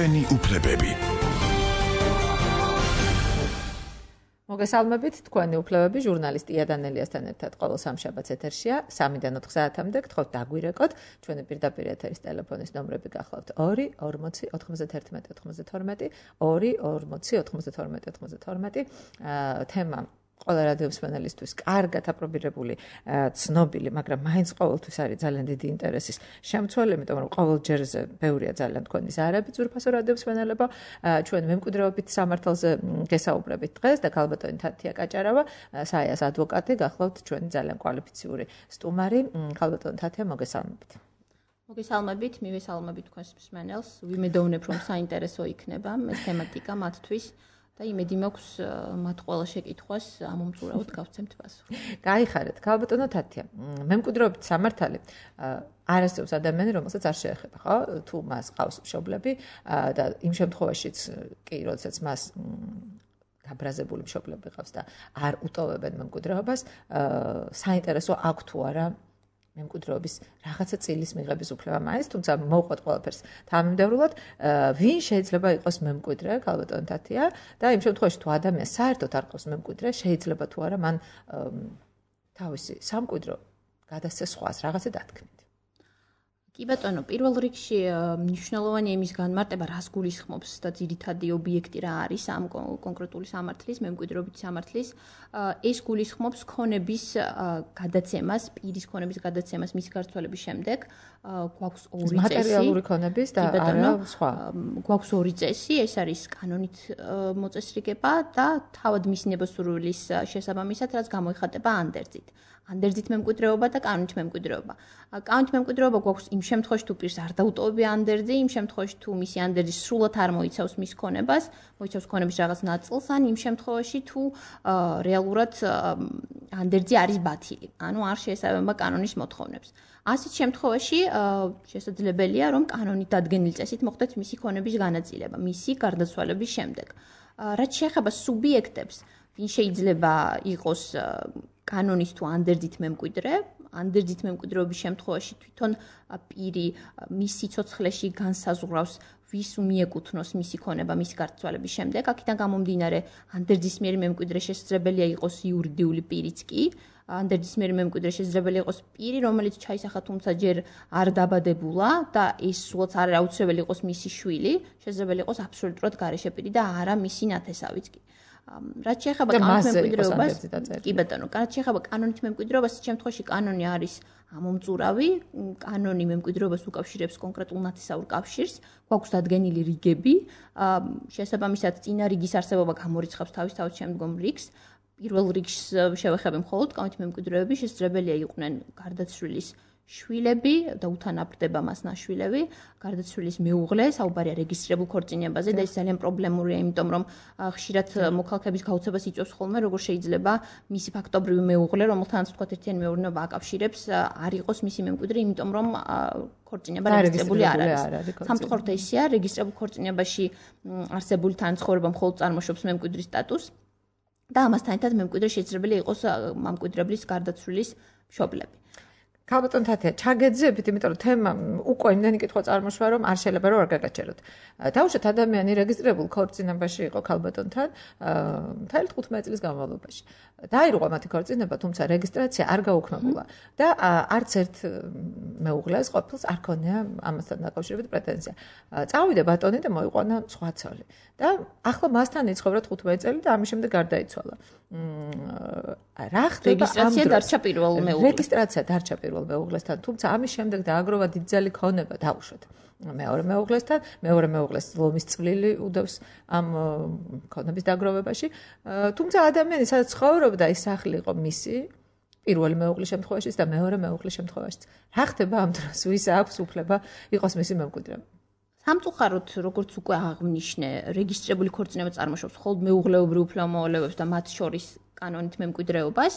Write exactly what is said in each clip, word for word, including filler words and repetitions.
ჩვენი უფლებები. მოგესალმებით, თქვენი უფლებები ჟურნალისტი იანელიასთან ერთად ყოველ სამშაბათს ეთერშია სამიდან ოთხ საათამდე გთხოვთ დაგვირეკოთ. ჩვენი პირდაპირ ეთერის ტელეფონის ნომრები გახლავთ ორი ორმოცი ოთხმოცდათერთმეტი ოთხმოცდათორმეტი, ორი ორმოცი ოთხმოცდათორმეტი ოთხმოცდათორმეტი. თემა ყველა რადიომსმენელისთვის კარგად აპრობირებული, ცნობილი, მაგრამ მაინც ყოველთვის არის ძალიან დიდი ინტერესის შემცველი, იმიტომ რომ ყოველ ჯერზე ბევრია ძალიან თქვენი ზარები ძვირფასო რადიომსმენელებო. ჩვენ მემკვიდრეობით სამართალზე გესაუბრებით დღეს და ქალბატონი თათია კაჭარავა, საიას ადვოკატი, გახლავთ ჩვენი ძალიან კვალიფიციური სტუმარი. ქალბატონი თათია, მოგესალმებით. მოგესალმებით, მივესალმებით თქვენს მსმენელს. ვიმედოვნებ, რომ საინტერესო იქნება ეს თემატიკა მათთვის. და იმედი მაქვს მათ ყველა შეკითხვას ამომწურავად გავცემთ პასუხი. გაიხარეთ, ქალბატონო თათია. მემკვიდრეობით სამართალი არასდროს ადამიანი, რომელსაც არ შეეხება, ხო? თუ მას ყავს მშობლები და იმ შემთხვევაშიც კი, როდესაც მას გაბრაზებული მშობლები ყავს და არ უტოვებენ მემკვიდრეობას, საინტერესო აქვს თუ არა მემკვიდრეობის რაღაცა წილის მიღების უფლება მაინც, თუმცა მოვყვეთ ყველაფერს თანამიმდევრულად, ვინ შეიძლება იყოს მემკვიდრე, ქალბატონი თათია, და იმ შემთხვევაში თუ ადამიანს საერთოდ არ ყავს მემკვიდრე, შეიძლება თუ არა მან თავისი სამკვიდრო გადასცეს სხვას, რაღაცა დათქმით. კი ბატონო, პირველ რიგში მნიშვნელოვანია იმის განმარტება, რას გულისხმობს და ძირითადი ობიექტი რა არის ამ კონკრეტული სამართლის, მემკვიდრეობის სამართლის. ეს გულისხმობს ქონების გადაცემას, პირის ქონების გადაცემას მის გარცვალების შემდეგ. გვაქვს ორი წესი. მატერიალური ქონების და არა სხვა. გვაქვს ორი წესი, ეს არის კანონით მოწესრიგება და თავად მისნებოსურვილის შესაბამისად, რაც გამოიხატება ანდერძით. ანდერძით მემკვიდრეობა და კანონით მემკვიდრეობა. კანონით მემკვიდრეობა გვაქვს იმ შემთხვევაში, თუ პირს არ დაუტოვებია ანდერძი, იმ შემთხვევაში, თუ მისი ანდერძი სრულად არ მოიცავს მის ქონებას, მოიცავს ქონების რაღაც ნაწილს, ან იმ შემთხვევაში, თუ რეალურად ანდერძი არის ბათილი, ანუ არ შეესაბამება კანონის მოთხოვნებს. ასეთ შემთხვევაში შესაძლებელია, რომ კანონით დადგენილი წესით მოხდეს მისი ქონების განაწილება, მისი გარდაცვალების შემდეგ. რაც შეეხება სუბიექტებს, ვინ შეიძლება იყოს კანონის თუ ანდერძით მემკვიდრე, ანდერძით მემკვიდრეობის შემთხვევაში თვითონ პირი მის სიცოცხლეში განსაზღვრავს, ვის მიეკუთვნოს მისი ქონება მის გარდაცვალების შემდეგ. აქედან გამომდინარე, ანდერძის მიერ მემკვიდრე შესაძლებელია იყოს იურიდიული პირიც კი, ანდერძის მიერ მემკვიდრე შესაძლებელი იყოს პირი, რომელიც ჩაისახა, თუმცა ჯერ არ დაბადებულა და ეს სულაც არ აუცილებელი იყოს მისი შვილი, შესაძლებელი იყოს აბსოლუტურად გარეშე პირი და არა მისი ნათესავიც კი. რაც შეეხება კანონით მემკვიდრეობას, კი ბატონო, რაც შეეხება კანონით მემკვიდრეობას, ამ შემთხვევაში კანონი არის ამომწურავი, კანონი მემკვიდრეობას უკავშირებს კონკრეტულ ნათესაურ კავშირს, გვაქვს დადგენილი რიგები, შესაბამისად წინა რიგის არსებობა გამორიცხავს თავისთავად შემდგომ რიგს. პირველ რიგს შევეხები მხოლოდ კანონით მემკვიდრეები, შესაძლებელია იყვნენ გარდაცვლილის შვილები და უთანაბრდება მას ნაშვილები, გარდაცვლილის მეუღლე, საუბარია რეგისტრირებულ ქორწინებაზე და ეს ძალიან პრობლემურია, იმიტომ რომ ხშირად მოქალაქეების გაუცებას იწვევს ხოლმე, როგორ შეიძლება მისი ფაქტობრივი მეუღლე, რომელთანაც თქვათ ერთიანი მეურნეობა აკავშირებს, არ იყოს მისი მემკვიდრე, იმიტომ რომ ქორწინება რეგისტრირებული არ არის. სამწუხაროდ ესეა, რეგისტრირებულ ქორწინებაში არსებული თანაცხოვრება მხოლოდ წარმოშობს მემკვიდრის სტატუსს და ამასთან ერთად მემკვიდრე შესაძლებელია იყოს მემკვიდრებლის გარდაცვლილის მშობლები. ქალბატონი თათია, ჩაგეძებთ, იმიტომ რომ თემა უკვე იმდენი კითხვა წარმოშვა, რომ არ შეიძლება რომ არ გაგაჩეროთ. თავშოთ ადამიანი რეგისტრირებულ ქორწინებაში იყო ქალბატონთან მთელი თხუთმეტი წლის განმავლობაში. დაირღვა მათი ქორწინება, თუმცა რეგისტრაცია არ გაუქმებულა და არც ერთ მეუღლეს ყოფილს არ ქონია ამასთან დაკავშირებით პრეტენზია. წავიდა ბატონი და მოიყვანა სხვა ცოლი. და ახლა მასთან იცხოვრა თხუთმეტი წელი და ამის შემდეგ გარდაიცვალა. რა ხდება ამ რეგისტრაცია დარჩა პირველ მეუღლეს. რეგისტრაცია დარჩა პირველ მეუღლესთან, თუმცა ამის შემდეგ დააგროვა დიდძალი ქონება, დაუშვათ. მეორე მეუღლესთან, მეორე მეუღლეს ლომის წვლილი უდევს ამ ქონების დაგროვებაში. თუმცა ადამიანი სადაც ცხოვრობდა, ის სახლი იყო მისი, პირველი მეუღლის შემთხვევაშიც და მეორე მეუღლის შემთხვევაშიც. რა ხდება ამ დროს, ვის აქვს უფლება იყოს მისი მემკვიდრე? სამწუხაროდ, როგორც უკვე აღნიშნე, რეგისტრირებული ქორწინება წარმოშობს მხოლოდ მეუღლეობრივ უფლებამოვალეობებს და მათ შორის კანონით მემკვიდრეობას,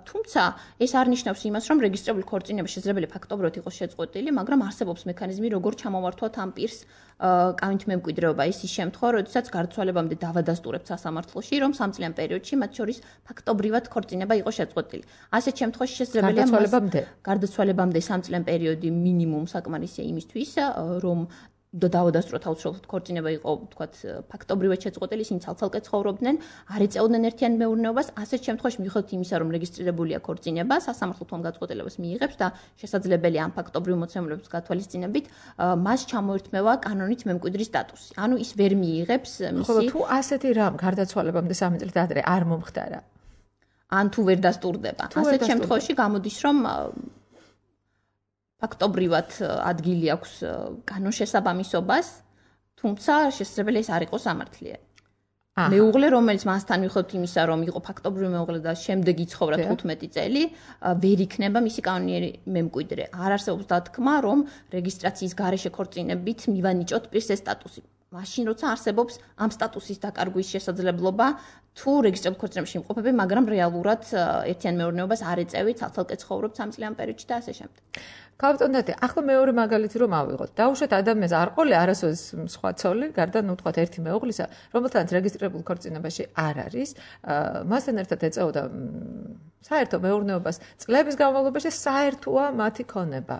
თუმცა ეს არ ნიშნავს იმას, რომ რეგისტრირებული ქორწინება შესაძლებელი ფაქტობრივად იყოს შეწყვეტილი, მაგრამ არსებობს მექანიზმი, როგორ ჩამოვართვათ ამ პირს კანონით მემკვიდრეობა. ის ის შემთხვევა, როდესაც გარდაცვალებამდე დავადასტურებთ სასამართლოში, რომ სამწლიან პერიოდში მათ შორის ფაქტობრივად ქორწინება იყო შეწყვეტილი. ასეთ შემთხვევაში შესაძლებელია გარდაცვალებამდე გარდაცვალებამდე სამწლიან პერიოდი მინიმუმ საკმარისია იმისთვის, რომ და დაავადასტურებთ აუცილებლად ქორწინება იყო, თქვათ, ფაქტობრივად შეწყვეტილი, ისინი ცალ-ცალკე ცხოვრობდნენ, არ ეწეოდნენ ერთიან მეურნეობას, ასეთ შემთხვევაში მიუხედავად იმისა, რომ რეგისტრირებულია ქორწინება, სასამართლო თვითონ გაწყვეტილებას მიიღებს და შესაძლებელია ამ ფაქტობრივ მოცემულობის გათვალისწინებით მას ჩამოერთმევა კანონით მემკვიდრის სტატუსი. ანუ ის ვერ მიიღებს მისი ხოლო თუ ასეთი რამ გარდაცვალებამდე სამი წლით ადრე არ მომხდარა, ან თუ ვერ დასტურდება. ასეთ შემთხვევაში გამოდის, რომ ფაქტობრივად ადგილი აქვს კანონშესაბამისობას, თუმცა შესაძლებელია ეს არ იყოს სამართლიანი. მეუღლე, რომელიც მასთან მიუხედავად იმისა, რომ იყო ფაქტობრივი მეუღლე და შემდეგ იცხოვრა თხუთმეტი წელი, ვერ იქნება მისი კანონიერი მემკვიდრე. არ არსებობს დათქმა, რომ რეგისტრაციის გარეშე ქორწინებით მივანიჭოთ პირს ეს სტატუსი. მაშინ როცა არსებობს ამ სტატუსის დაკარგვის შესაძლებლობა, თუ რეგისტრირებულ ქორწინებაში იმყოფები, მაგრამ რეალურად ერთიან მეურნეობას არ ეწევით, ცალ-ცალკე ცხოვრობთ სამ წლიან პერიოდში და ასე შემდეგ. გავტონდეთ, ახლა მეორე მაგალითი რომ ავიღოთ. დაუშვათ ადამიანს არ ყოლე არასოდეს სხვა ცოლი, გარდა ნუ თქვათ ერთი მეუღლისა, რომელთანაც რეგისტრირებულ ქორწინებაში არ არის, მასთან ერთად ეწეოდა საერთო მეურნეობას წლების განმავლობაში საერთოა მათი ქონება.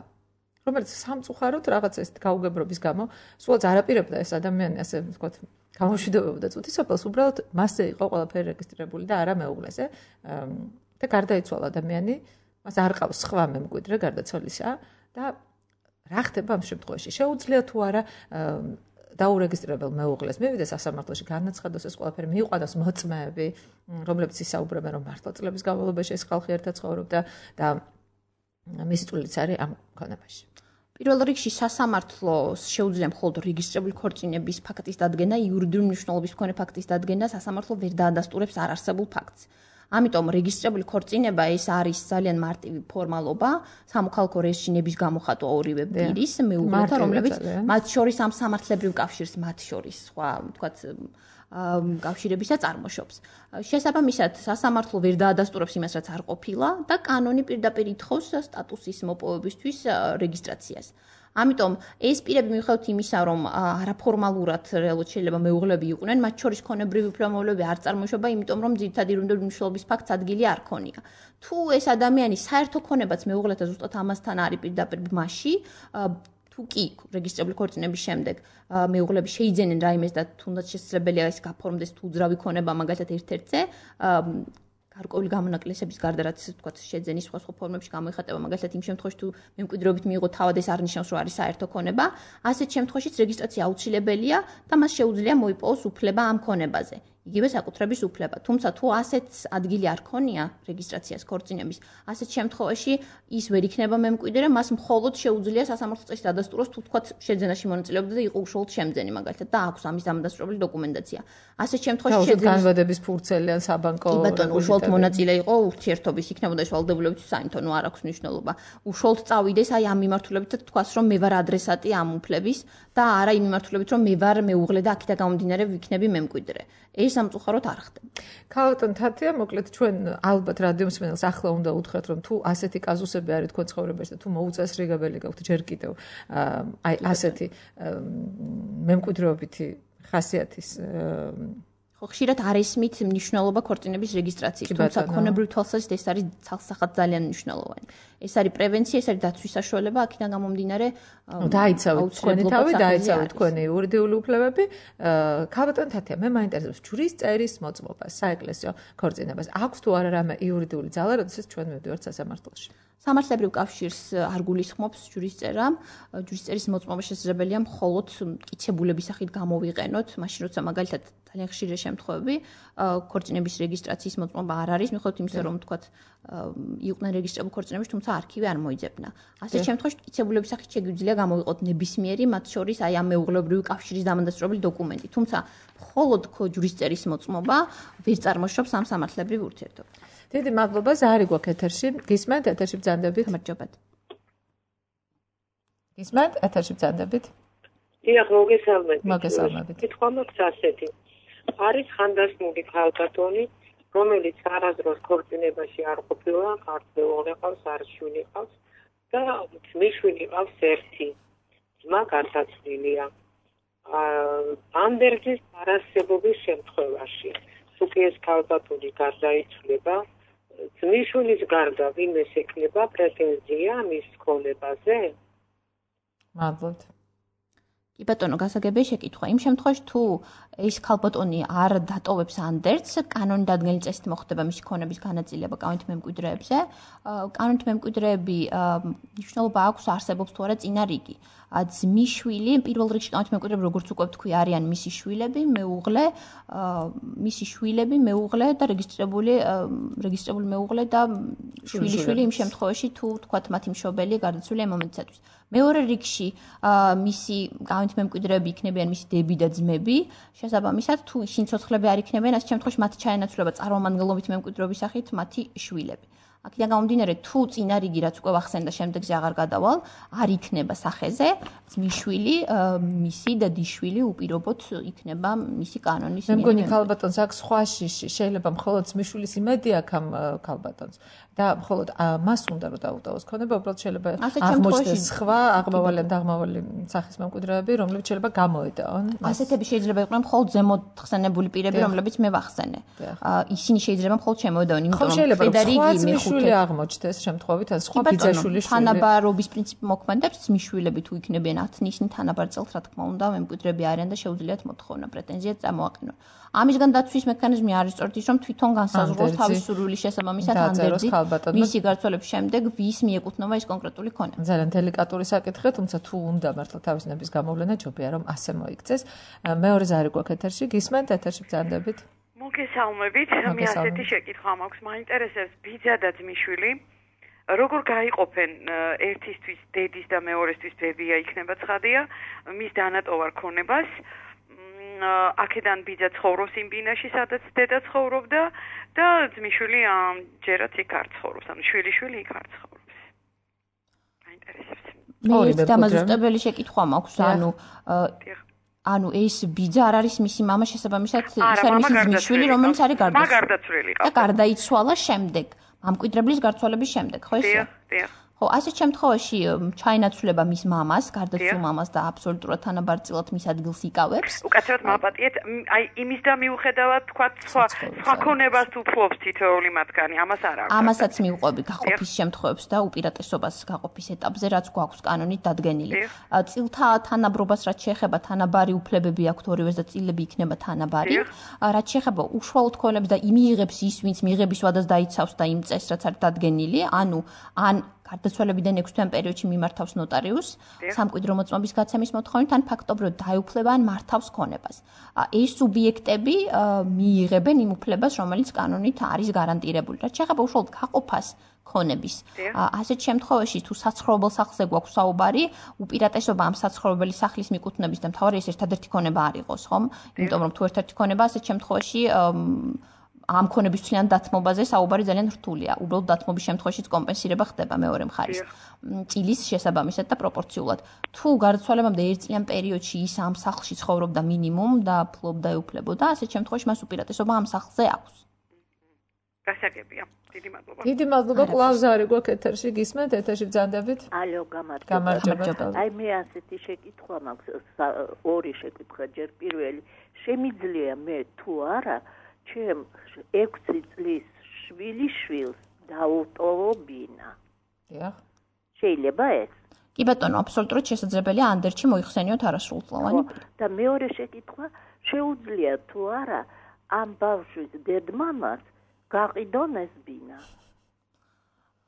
რომელიც სამწუხაროდ რაღაც ეს გაუგებრობის გამო სულაც არ აპირებდა ეს ადამიანი ასე ვთქვათ გამოშვიდობებდა წუთისოფელს, უბრალოდ მასზე იყო ყველაფერი რეგისტრირებული და არა მეუღლეზე და გარდაიცვალა ადამიანი, მას არ ყავს სხვა მემკვიდრე გარდა ცოლისა და რა ხდება ამ შემთხვევაში? შეუძლია თუ არა დაურეგისტრირებელ მეუღლეს მივიდეს სასამართლოში, განაცხადოს ეს ყველაფერი, მიიყვანოს მოწმეები, რომლებიც ისაუბრებენ, რომ მართლა წლების განმავლობაში ეს ხალხი ერთად ცხოვრობდა და მისი წვლილიც არის ამ ქონებაში. პირველ რიგში სასამართლოს შეუძლია მხოლოდ რეგისტრირებული ქორწინების ფაქტის დადგენა, იურიდიული მნიშვნელობის მქონე ფაქტის დადგენა, სასამართლო ვერ დაადასტურებს არარსებულ ფაქტს. ამიტომ რეგისტრირებული ქორწინება ეს არის ძალიან მარტივი ფორმალობა, სამოქალაქო რეჟიმების გამოხატვა ორივე პირის მეუღლეთა, რომლებიც მათ შორის ამ სამართლებრივ კავშირს მათ შორის სხვა, ვთქვათ, კავშირებისა წარმოშობს. შესაბამისად, სასამართლო ვერ დაადასტურებს იმას, რაც არ ყოფილა და კანონი პირდაპირ ითხოვს სტატუსის მოპოვებისთვის რეგისტრაციას. ამიტომ ეს პირები მიუხედავად იმისა, რომ არაფორმალურად რეალურად შეიძლება მეუღლეები იყვნენ, მათ შორის ქონებრივი უფლებამოებები არ წარმოიშობა, იმიტომ რომ ძირითადი იურიდიული მნიშვნელობის ფაქტს ადგილი არ ქონია. თუ ეს ადამიანი საერთო ქონებაც მეუღლეთა ზუსტად ამასთან არის პირდაპირ მასში, თუ კი რეგისტრირებული ქორწინების შემდეგ მეუღლეები შეიძენენ რაიმეს და თუნდაც შესაძლებელია ეს გაფორმდეს თუ უძრავი ქონება მაგალითად ერთ-ერთზე, გარკვეული გამონაკლისების გარდა რაც თქვათ შეძენის სხვა სხვა ფორმებში გამოიხატება, მაგალითად იმ შემთხვევაში თუ მემკვიდრეობით მიიღო თავად ეს არ ნიშნავს რომ არის საერთო ქონება, ასეთ შემთხვევაშიც რეგისტრაცია აუცილებელია და მას შეუძლია მოიპოვოს უფლება ამ ქონებაზე. იგივე საკუთრების უფლება. თუმცა თუ ასეთ ადგილი არ ქონია რეგისტრაციას ქორწინების, ასეთ შემთხვევაში ის ვერ იქნება მემკვიდრე, მას მხოლოდ შეუძლია სასამართლო წესით დადასტუროს თუ თქვათ შეძენაში მონაწილეობდა და იყო უშუალოდ შემძენი მაგალითად და აქვს ამის დამადასტურებელი დოკუმენტაცია. ასეთ შემთხვევაში შეძენის განვადების ფურცელი ან საბანკო კი ბატონო, უშუალოდ მონაწილე იყო ურთიერთობის, იქნებოდა ეს ვალდებულებითი საინფო, ნუ არ აქვს მნიშვნელობა. უშუალოდ წავიდეს აი ამ მიმართულებით და თქვას რომ მე ვარ ადრესატი ამ უფლების და არა იმ მიმართულებით რომ მე ვარ მეუღლე და აქედან გამომდინარე ვიქნები მემკვიდრე. ეს სამწუხაროდ არ ხდება. ქალბატონ თათია, მოკლედ ჩვენ ალბათ რადიო მსმენელს ახლა უნდა უთხრათ, რომ თუ ასეთი კაზუსები არის თქვენ ცხოვრებაში და თუ მოუწესრიგებელი გაქვთ ჯერ კიდევ აი ასეთი მემკვიდრეობითი ხასიათის ხო ხშირად არ ესმით მნიშვნელობა ქორწინების რეგისტრაციის, თუმცა ქონებრივ თვალსაზრისით ეს არის ცალსახად ძალიან მნიშვნელოვანი. ეს არის პრევენცია, ეს არის დაცვის საშუალება, აქედან გამომდინარე დაიცავით თქვენი თავი, დაიცავით თქვენი იურიდიული უფლებები. ქალბატონ თათია, მე მაინტერესებს ჯვრის წერის მოწმობა საეკლესიო ქორწინებას. აქვს თუ არა რამე იურიდიული ძალა, როდესაც ჩვენ მივდივართ სასამართლოში? სამართლებრივ კავშირს არ გულისხმობს ჯვრის წერა. ჯვრის წერის მოწმობა შესაძლებელია მხოლოდ მტკიცებულების სახით გამოვიყენოთ, მაშინ როცა მაგალითად ძალიან ხშირი შემთხვევები ქორწინების რეგისტრაციის მოწმობა არ არის, მიუხედავად იმისა, რომ თქვათ იყვნენ რეგისტრირებულ ქორწინებაში, თუმცა არქივი არ მოიძებნა. ასეთ შემთხვევაში მტკიცებულების სახით შეგვიძლია გამოვიყოთ ნებისმიერი, მათ შორის აი ამ მეუღლეობრივი კავშირის დამადასტურებელი დოკუმენტი. თუმცა მხოლოდ ჯვრის წერის მოწმობა ვერ წარმოშობს ამ სამართლებრივ ურთიერთობას. დიდი მადლობა, ზარი გვაქვს ეთერში. გისმენთ, ეთერში ბრძანდებით. გამარჯობათ. გისმენთ, ეთერში ბრძანდებით. დიახ, მოგესალმებით. მოგესალმებით. კითხვა მაქვს ასეთი. არის ხანდასმული ქალბატონი, რომელიც არასდროს ქორწინებაში არ ყოფილა, ქართველი ყავს, არ შვილი ყავს და მიშვილი ყავს ერთი. ძმა გარდაცვლილია. ანდერძის არარსებობის შემთხვევაში, თუ კი ეს ქალბატონი გარდაიცვლება, ძმისშვილის გარდა ვინმეს ექნება პრეტენზია მის ქონებაზე? მადლობთ. კი ბატონო, გასაგებია შეკითხვა. იმ შემთხვევაში თუ ეს ქალბატონი არ დატოვებს ანდერძს, კანონი დადგენილი წესით მოხდება მისი ქონების განაწილება კანონით მემკვიდრეებზე. კანონით მემკვიდრეები მნიშვნელობა აქვს არსებობს თუ არა წინა რიგი. ძმისშვილი, პირველ რიგში კანონით მემკვიდრეები, როგორც უკვე ვთქვი, არიან მისი შვილები, მეუღლე, მისი შვილები, მეუღლე და რეგისტრირებული რეგისტრირებული მეუღლე და შვილიშვილი იმ შემთხვევაში თუ თქვათ მათი მშობელი გარდაცვლილია ამ მომენტისათვის. მეორე რიგში მისი კანონით მემკვიდრეები იქნებიან მისი დები და ძმები, შესაბამისად თუ ისინი ცოცხლები არ იქნებიან, ამ შემთხვევაში მათ ჩაენაცვლება წარმომადგენლობით მემკვიდრეობის სახით მათი შვილები. აქედან გამომდინარე, თუ წინა რიგი რაც უკვე ვახსენე და შემდეგზე აღარ გადავალ, არ იქნება სახეზე, ძმისშვილი, მისი და დისშვილი უპირობოდ იქნება მისი კანონის. მე მგონი ქალბატონს აქვს სხვა შიში, შეიძლება მხოლოდ ძმისშვილის იმედი აქვს ამ ქალბატონს და მხოლოდ მას უნდა რომ დაუტოვოს ქონება, უბრალოდ შეიძლება აღმოჩნდეს სხვა აღმავალი და აღმავალი სახის მემკვიდრეები, რომლებიც შეიძლება გამოედაონ. ასეთები შეიძლება იყვნენ მხოლოდ ზემოთ ხსენებული პირები, რომლებიც მე ვახსენე. ისინი შეიძლება მხოლოდ შემოედაონ, იმიტომ რომ ფედერიკი მეხუთე აღმოჩნდეს შემთხვევით, ან სხვა ბიძაშვილი შვილი. თანაბარობის პრინციპი მოქმედებს, ძმისშვილები თუ იქნებიან ათი, ისინი თანაბარ წელს, რა თქმა უნდა, მემკვიდრეები არიან და შეუძლიათ მოთხოვნა, პრეტენზია წამოაყენონ. ამისგან დაცვის მექანიზმი არის სწორედ ის, რომ თვითონ განსაზღვროს თავის სურვილის შესაბამისად ანდერძით მისი გარცვალების შემდეგ ვის მიეკუთვნება ეს კონკრეტული ქონება. ძალიან დელიკატური საკითხია, თუმცა თუ უნდა მართლა თავის ნების გამოვლენა, ჯობია რომ ასე მოიქცეს. მეორე ზარი გვაქვს ეთერში, გისმენთ ეთერში ბრძანდებით. მოგესალმებით, მე ასეთი შეკითხვა მაქვს, მაინტერესებს ბიძა და ძმისშვილი, როგორ გაიყოფენ ერთისთვის დედის და მეორესთვის ბებია იქნება ცხადია, მის დანატოვარ ქონებას. აქედან ბიძა ცხოვრობს იმ ბინაში, სადაც დედა ცხოვრობდა და ძმისშვილი ჯერაც იქ არ ცხოვრობს, ანუ შვილიშვილი იქ არ ცხოვრობს. მაინტერესებს. მე დამაზუსტებელი შეკითხვა მაქვს, ანუ ანუ ეს ბიძა არ არის მისი მამა, შესაბამისად ის არის მისი ძმისშვილი, რომელიც არის გარდაცვლილი. და გარდაიცვალა შემდეგ, მამკვიდრებლის გარცვალების შემდეგ, ხო ესე? დიახ. ხო, ასეთ შემთხვევაში ჩაენაცვლება მის მამას, გარდაცვლილ მამას და აბსოლუტურად თანაბარწილად მის ადგილს იკავებს. უკაცრავად მაპატიეთ, აი იმის და მიუხედავად თქვა სხვა სხვა ქონებას თუ ფლობს თითოეული მათგანი, ამას არ აქვს. ამასაც მიუყვები გაყოფის შემთხვევებს და უპირატესობას გაყოფის ეტაპზე, რაც გვაქვს კანონით დადგენილი. წილთა თანაბრობას რაც შეეხება თანაბარი უფლებები აქვთ ორივეს და წილები იქნება თანაბარი. რაც შეეხება უშუალოდ ქონებს და იმიღებს ის, ვინც მიღების ვადას დაიცავს და იმ წესს რაც არის დადგენილი, ანუ ან გარდაცვალებიდან ექვსი თვიან პერიოდში მიმართავს ნოტარიუსს, სამკვიდრო მოწმობის გაცემის მოთხოვნით, ან ფაქტობრივად დაეუფლება ან მართავს ქონებას. ეს სუბიექტები მიიღებენ იმ უფლებას, რომელიც კანონით არის გარანტირებული. რაც შეეხება უშუალოდ გაყოფას ქონების. ასეთ შემთხვევაში თუ საცხოვრებელ სახლზე გვაქვს საუბარი, უპირატესობა ამ საცხოვრებელი სახლის მიკუთვნების და მთავარი ეს ერთადერთი ქონება არ იყოს, ხომ? იმიტომ რომ თუ ერთ-ერთი ქონება ასეთ შემთხვევაში ამ ქონების ცვლიან დათმობაზე საუბარი ძალიან რთულია. უბრალოდ დათმობის შემთხვევაშიც კომპენსირება ხდება მეორე მხარის წილის შესაბამისად და პროპორციულად. თუ გარდაცვალებამდე ერთწლიან პერიოდში ის ამ სახლში ცხოვრობდა მინიმუმ და ფლობდა ეუფლებოდა, ასეთ შემთხვევაში მას უპირატესობა ამ სახლზე აქვს. გასაგებია. დიდი მადლობა. დიდი მადლობა. კლავზარი გვაქვს ეთერში, გისმენთ ეთერში ბრძანდებით. ალო, გამარჯობა. აი მე ასეთი შეკითხვა მაქვს, ორი შეკითხვა, ჯერ პირველი, შემიძლია მე თუ არა ჩემ ექვსი წლის შვილიშვილს დაუტოვო ბინა. დიახ. შეიძლება ეს? კი ბატონო, აბსოლუტურად შესაძლებელია ანდერძში მოიხსენიოთ არასრულწლოვანი. და მეორე შეკითხვა, შეუძლია თუ არა ამ ბავშვის დედმამას გაყიდონ ეს ბინა?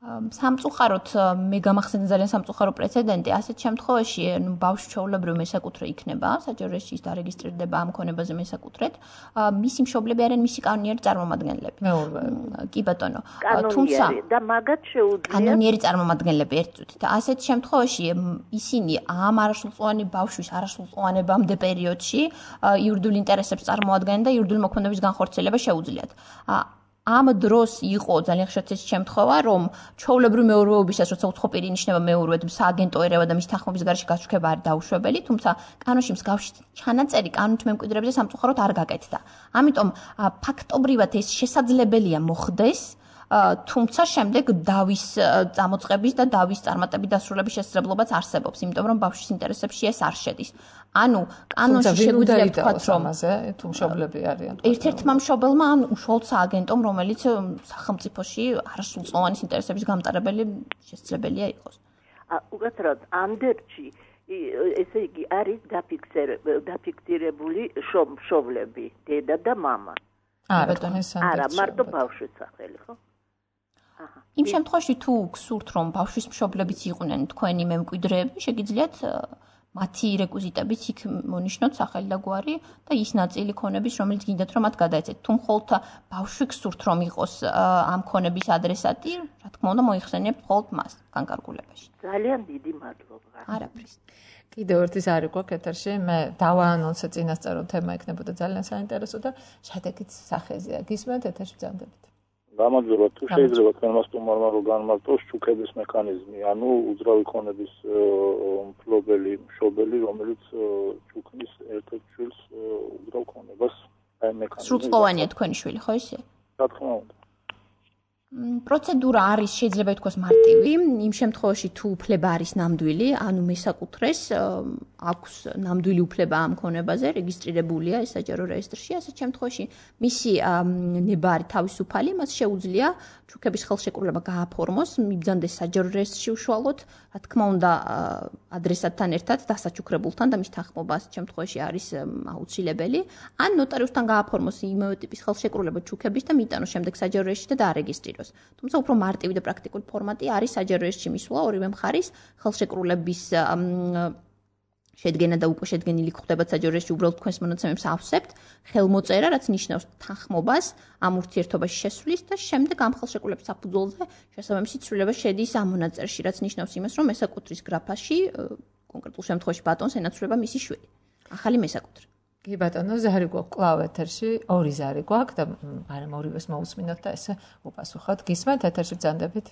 სამწუხაროდ მე გამახსენე ძალიან სამწუხარო პრეცედენტი. ასეთ შემთხვევაში ბავშვი ჩვეულებრივ მესაკუთრე იქნება, საჯარო რეესტრში დარეგისტრირდება ამ ქონებაზე მესაკუთრედ. მისი მშობლები არიან მისი კანონიერი წარმომადგენლები. კი ბატონო. თუმცა და მაგათ შეუძლია კანონიერი წარმომადგენლები ერთ წუთით. ასეთ შემთხვევაში ისინი ამ არასრულწლოვანი ბავშვის არასრულწლოვანებამდე პერიოდში იურიდიულ ინტერესებს წარმოადგენენ და იურიდიული მოქმედების განხორციელება შეუძლიათ. ამ დროს იყო ძალიან ხშირად ეს შემთხვევა, რომ ჩვეულებრივ მეურვეობისას, როცა უცხო პირი ინიშნება მეურვედ, სააგენტო ერევა და მის თანხმობის გარეშე გაშუქება არის დაუშვებელი, თუმცა კანონში მსგავსი ჩანაწერი კანონით მემკვიდრეებზე სამწუხაროდ არ გაკეთდა. ამიტომ ფაქტობრივად ეს შესაძლებელია მოხდეს, თუმცა შემდეგ დავის წამოწყების და დავის წარმატების დასრულების შესაძლებლობაც არსებობს, იმიტომ რომ ბავშვის ინტერესებში ეს არ შედის. ანუ კანონში შეგვიძლია ვთქვათ, რომ ამაზე თუ მშობლები არიან. ერთ-ერთმა მშობელმა ან უშუალოდ სააგენტომ, რომელიც სახელმწიფოში არასრულწლოვანის ინტერესების გამტარებელი შესაძლებელია იყოს. უკაცრავად ანდერძში ესე იგი არის დაფიქსირებული შოვლები, დედა და მამა. არა, ეს არა, მარტო ბავშვის სახელი, ხო? აჰა. იმ შემთხვევაში თუ გსურთ რომ ბავშვის მშობლებიც იყვნენ თქვენი მემკვიდრეები, შეგიძლიათ მათი რეკვიზიტებიც იქ მონიშნოთ სახელი და გვარი და ის ნაწილი ქონების, რომელიც გინდათ რომ მათ გადაეცეთ. თუ მხოლოდ ბავშვი გსურთ რომ იყოს ამ ქონების ადრესატი, რა თქმა უნდა მოიხსენიებთ მხოლოდ მას განკარგულებაში. ძალიან დიდი მადლობა. არაფრის. კიდევ ერთის არის გვაქვს ეთერში, მე დავაანონსე წინასწარ რომ თემა იქნებოდა ძალიან საინტერესო და შედეგიც სახეზეა. გისმენთ ეთერში ბრძანდებით. გამარჯობა, თუ შეიძლება თქვენმა სტუმარმა რომ განმარტოს ჩუქების მექანიზმი, ანუ უძრავი ქონების მფლობელი, მშობელი, რომელიც ჩუქნის ერთ-ერთ შვილს უძრავ ქონებას აი მექანიზმი. სრულწლოვანია თქვენი შვილი, ხო ისე? რა თქმა უნდა. პროცედურა არის შეიძლება ითქვას მარტივი, იმ შემთხვევაში თუ უფლება არის ნამდვილი, ანუ მესაკუთრეს აქვს ნამდვილი უფლება ამ ქონებაზე, რეგისტრირებულია ეს საჯარო რეესტრში, ასეთ შემთხვევაში მისი ნებარი თავისუფალი, მას შეუძლია ჩუქების ხელშეკრულება გააფორმოს, მიბრძანდეს საჯარო რეესტრში უშუალოდ, რა თქმა უნდა, ადრესატთან ერთად დასაჩუქრებულთან და მის თანხმობა ასეთ შემთხვევაში არის აუცილებელი, ან ნოტარიუსთან გააფორმოს იმავე ტიპის ხელშეკრულება ჩუქების და მიიტანოს შემდეგ საჯარო რეესტრში და დაარეგისტრიროს. თუმცა უფრო მარტივი და პრაქტიკული ფორმატი არის საჯარო რეესტრში მისვლა ორივე მხარის ხელშეკრულების შედგენა და უკვე შედგენილი ხდება საჯარო რეესტრში უბრალოდ თქვენს მონაცემებს ავსებთ, ხელმოწერა, რაც ნიშნავს თანხმობას ამ ურთიერთობაში შესვლის და შემდეგ ამ ხელშეკრულების საფუძველზე შესაბამისი ცვლილება შედის ამ მონაწერში, რაც ნიშნავს იმას, რომ მესაკუთრის გრაფაში კონკრეტულ შემთხვევაში ბატონს ენაცვლება მისი შვილი. ახალი მესაკუთრე. კი ბატონო, ზარი გვაქვს კლავ ეთერში, ორი ზარი გვაქვს და არამ ორივეს მოусმინოთ და ესე უპასუხოთ. გისმენთ ეთერში ბრძანდებით?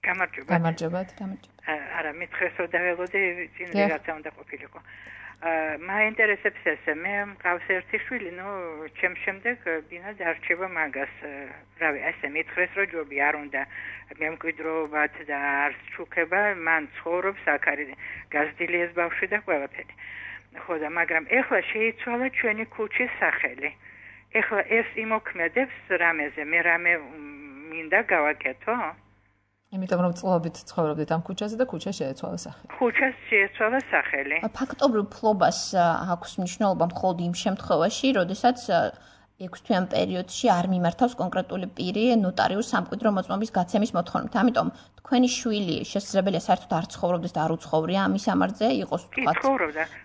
გამარჯობა. გამარჯობათ. გამარჯობა. არა, მithres რომ დაველოდე წინ რაღაცა უნდა ყოფილიყო. მაინტერესებს ესე, მე მყავს ერთი შვილი, ნუ ჩემ შემდეგ ბინა დარჩება მაგას. რავი, ესე მithres რომ ჯობი არ უნდა მემკვიდრეობათ და არც ჩუქება, მან ცხოვრობს აქ არის გაზრდილი ეს ბავშვი და ყველაფერი. ხო და მაგრამ ეხლა შეიცვალა ჩვენი ქუჩის სახელი. ეხლა ეს იმოქმედებს რამეზე, მე რამე მინდა გავაკეთო? იმიტომ რომ წლობით ცხოვრობდით ამ ქუჩაზე და ქუჩა შეეცვალა სახელი. ქუჩას შეეცვალა სახელი. ფაქტობრივ ფლობას აქვს მნიშვნელობა მხოლოდ იმ შემთხვევაში, როდესაც ექვსთვიან პერიოდში არ მიმართავს კონკრეტული პირი ნოტარიუს სამკვიდრო მოწმობის გაცემის მოთხოვნით. ამიტომ თქვენი შვილი შესაძლებელია საერთოდ არ ცხოვრობდეს და არ უცხოვრია ამის ამარზე იყოს თქვა.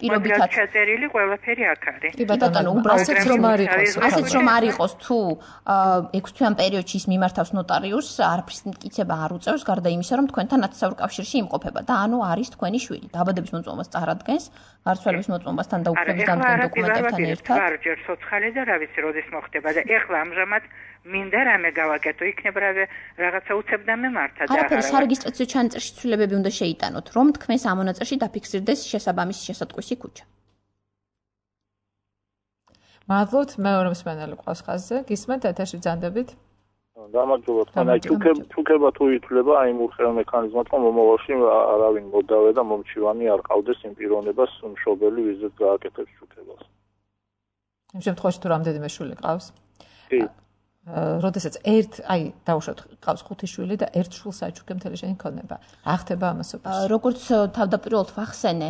პირობითად ჩაწერილი ყველაფერი აქ არის. კი ბატონო, უბრალოდ რომ არ იყოს, ასეც რომ არ იყოს თუ ექვსთვიან პერიოდში ის მიმართავს ნოტარიუსს, არაფრის მტკიცება არ უწევს გარდა იმისა, რომ თქვენთან ათასավոր კავშირში იმყოფება და ანუ არის თქვენი შვილი. დაბადების მოწმობას წარადგენს, გარდაცვალების მოწმობასთან და უფლების დამდგენ დოკუმენტებთან ერთად. არ ჯერ სოცხალი და რა ვიცი, როდის მოხდება და ეხლა ამჟამად მინდა რამე გავაკეთო, იქნება რაღაცა უცებ და მემართა და არაფერი სარეგისტრაციო ჩანაწერში ცვლილებები უნდა შეიტანოთ, რომ თქვენს ამ მონაწერში დაფიქსირდეს შესაბამისი შესატყვისი ქუჩა. მადლობთ, მეორე მსმენელი ყავს ხაზზე. გისმენთ ეთერში ბრძანდებით? გამარჯობა, თქვენ აი ჩუქება თუ ითვლება აი მურხევა მექანიზმად, რომ მომავალში არავინ მოდავე და მომჩივანი არ ყავდეს იმ პიროვნებას მშობელი, ვიზით გააკეთებს ჩუქებას. იმ შემთხვევაში თუ რამდენიმე შვილი ყავს? კი. როდესაც ერთ, აი, დავუშვათ, ყავს ხუთი შვილი და ერთ შვილს აჩუქე მთელი შენი ქონება. რა ხდება ამასობაში? როგორც თავდაპირველად ვახსენე,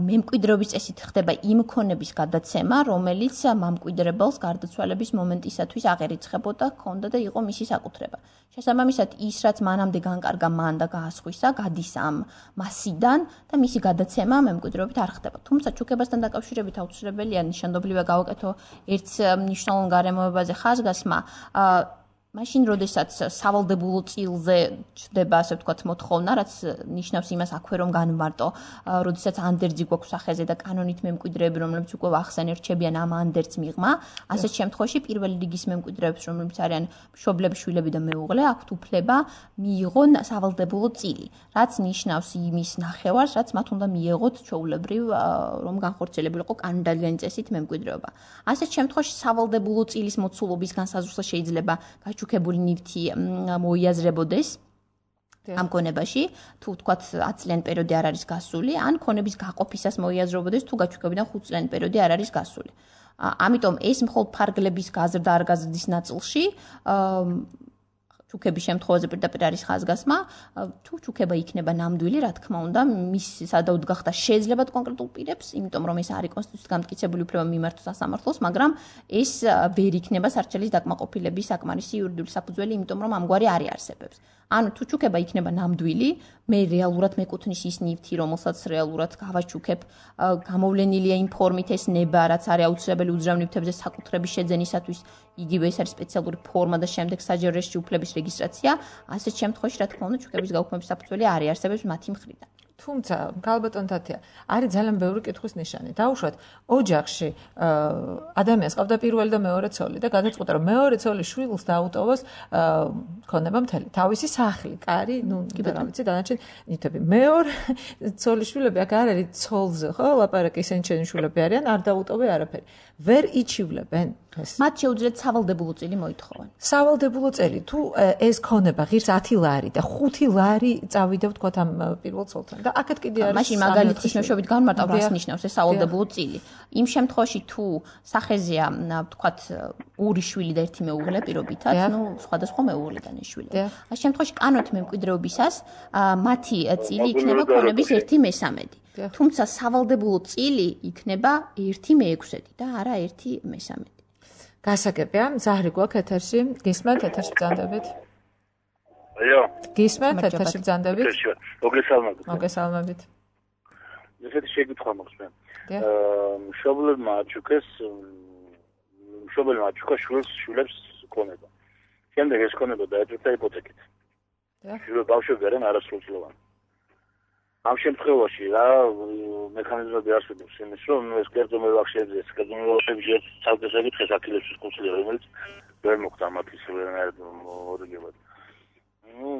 მემკვიდრეობის წესით ხდება იმ ქონების გადაცემა, რომელიც მამკვიდრებელს გარდაცვალების მომენტისათვის აღერიცხებოდა, ჰქონდა და იყო მისი საკუთრება. შესაბამისად, ის რაც მანამდე განკარგა მან და გაასხვისა, გადის ამ მასიდან და მისი გადაცემა მემკვიდრეობით არ ხდება. თუმცა ჩუქებასთან დაკავშირებით აუცილებელია ნიშანდობლივად გავაკეთო ერთ მნიშვნელოვან გარემოებაზე ხაზგასმა. მაშინ, როდესაც სავალდებულო წილზე ჩდება, ასე ვთქვათ, მოთხოვნა, რაც ნიშნავს იმას აქვე რომ განმარტო, როდესაც ანდერძი გვაქვს სახეზე და კანონით მემკვიდრეები, რომლებიც უკვე ვახსენე, რჩებიან ამ ანდერძს მიღმა, ასეთ შემთხვევაში პირველი რიგის მემკვიდრეებს, რომლებიც არიან მშობლები, შვილები და მეუღლე, აქვთ უფლება მიიღონ სავალდებულო წილი, რაც ნიშნავს იმის ნახევარს, რაც მათ უნდა მიეღოთ ჩვეულებრივ, რომ განხორციელებულიყო კანონდადიანი წესით მემკვიდრეობა. ასეთ შემთხვევაში სავალდებულო წილის მოცულობის განსაზღვრა შეიძლება ჩუქებული ნივთი მოიაზრებოდეს ამ ქონებაში, თუ ვთქვათ ათი წლიანი პერიოდი არ არის გასული, ან ქონების გაყოფისას მოიაზრებოდეს, თუ გაჩუქებიდან ხუთი წლიანი პერიოდი არ არის გასული. ამიტომ ეს მხოლოდ ფარგლების გაზრდა არ გაზრდის ნაწილში ჩუქების შემთხვევაზე პირდაპირ არის ხაზგასმა, თუ ჩუქება იქნება ნამდვილი, რა თქმა უნდა, მის სადავოდ გახდა შეძლებათ კონკრეტულ პირებს, იმიტომ რომ ეს არის კონსტიტუციით გამტკიცებული უფლება მიმართოს სასამართლოს, მაგრამ ეს ვერ იქნება სარჩელის დაკმაყოფილების საკმარისი იურიდიული საფუძველი, იმიტომ რომ ამგვარი არ არსებობს. ანუ თუ ჩუქება იქნება ნამდვილი, მე რეალურად მეკუთვნის ის ნივთი, რომელსაც რეალურად გავაჩუქებ, გამოვლენილია იმ ფორმით ეს ნება, რაც არის აუცილებელი უძრავ ნივთებზე საკუთრების შეძენისათვის, იგივე ეს არის სპეციალური ფორმა და შემდეგ საჯარო რეესტრში უფლების რეგისტრაცია, ასეთ შემთხვევაში რა თქმა უნდა ჩუქების გაუქმების საფუძველი არ არსებობს მათი მხრიდან. თუმცა, ქალბატონ თათია, არის ძალიან ბევრი კითხვის ნიშანი. დაუშვათ, ოჯახში ადამიანს ყავდა პირველი და მეორე ცოლი და გადაწყვეტა, რომ მეორე ცოლის შვილს დაუტოვოს ქონება მთელი თავისი სახლი, კარი, ნუ რა ვიცი, დანარჩენ ნივთები. მეორე ცოლის შვილები აქ არ არის ცოლზე, ხო? ლაპარაკი ისინი ჩვენი შვილები არიან, არ დაუტოვე არაფერი. ვერ იჩივლებენ ეს. მათ შეუძლიათ სავალდებულო წილი მოითხოვან. სავალდებულო წელი, თუ ეს ქონება ღირს ათი ლარი და ხუთი ლარი წავიდა ვთქვათ ამ პირველ ცოლთან. და აქეთ კიდე არის მაშინ მაგალითის მეშვეობით განმარტავ რას ნიშნავს ეს სავალდებულო წილი. იმ შემთხვევაში თუ სახეზეა ვთქვათ ორი შვილი და ერთი მეუღლე პირობითად, ნუ სხვადასხვა მეუღლიდან ეს შვილები. ამ შემთხვევაში კანონით მემკვიდრეობისას მათი წილი იქნება ქონების ერთი მესამედი. თუმცა სავალდებულო წილი იქნება ერთი მეექვსედი და არა ერთი მესამედი. გასაგებია, ზahri გვაქვს ეთერში, გისმენთ ეთერში ბრძანდებით. აიო. გისმენთ ეთერში ბრძანდებით. მოგესალმებით. მოგესალმებით. ესეთი შეკითხვა მაქვს მე. აა მშობლებმა აჩუქეს მშობლებმა აჩუქა შვილს შვილებს ქონება. შემდეგ ეს ქონება დაეწევა იპოთეკით. შვილები ბავშვები არიან არასრულწლოვანი. ამ შემთხვევაში რა მექანიზმები არსებობს იმის რომ ეს კერძო მევახშეებზე ეს კერძო მევახშეებზე ცალკე შეკითხეს აქილევსის კურსი რომელიც ვერ მოხდა მათის ვერანაირ მორიგებად. ნუ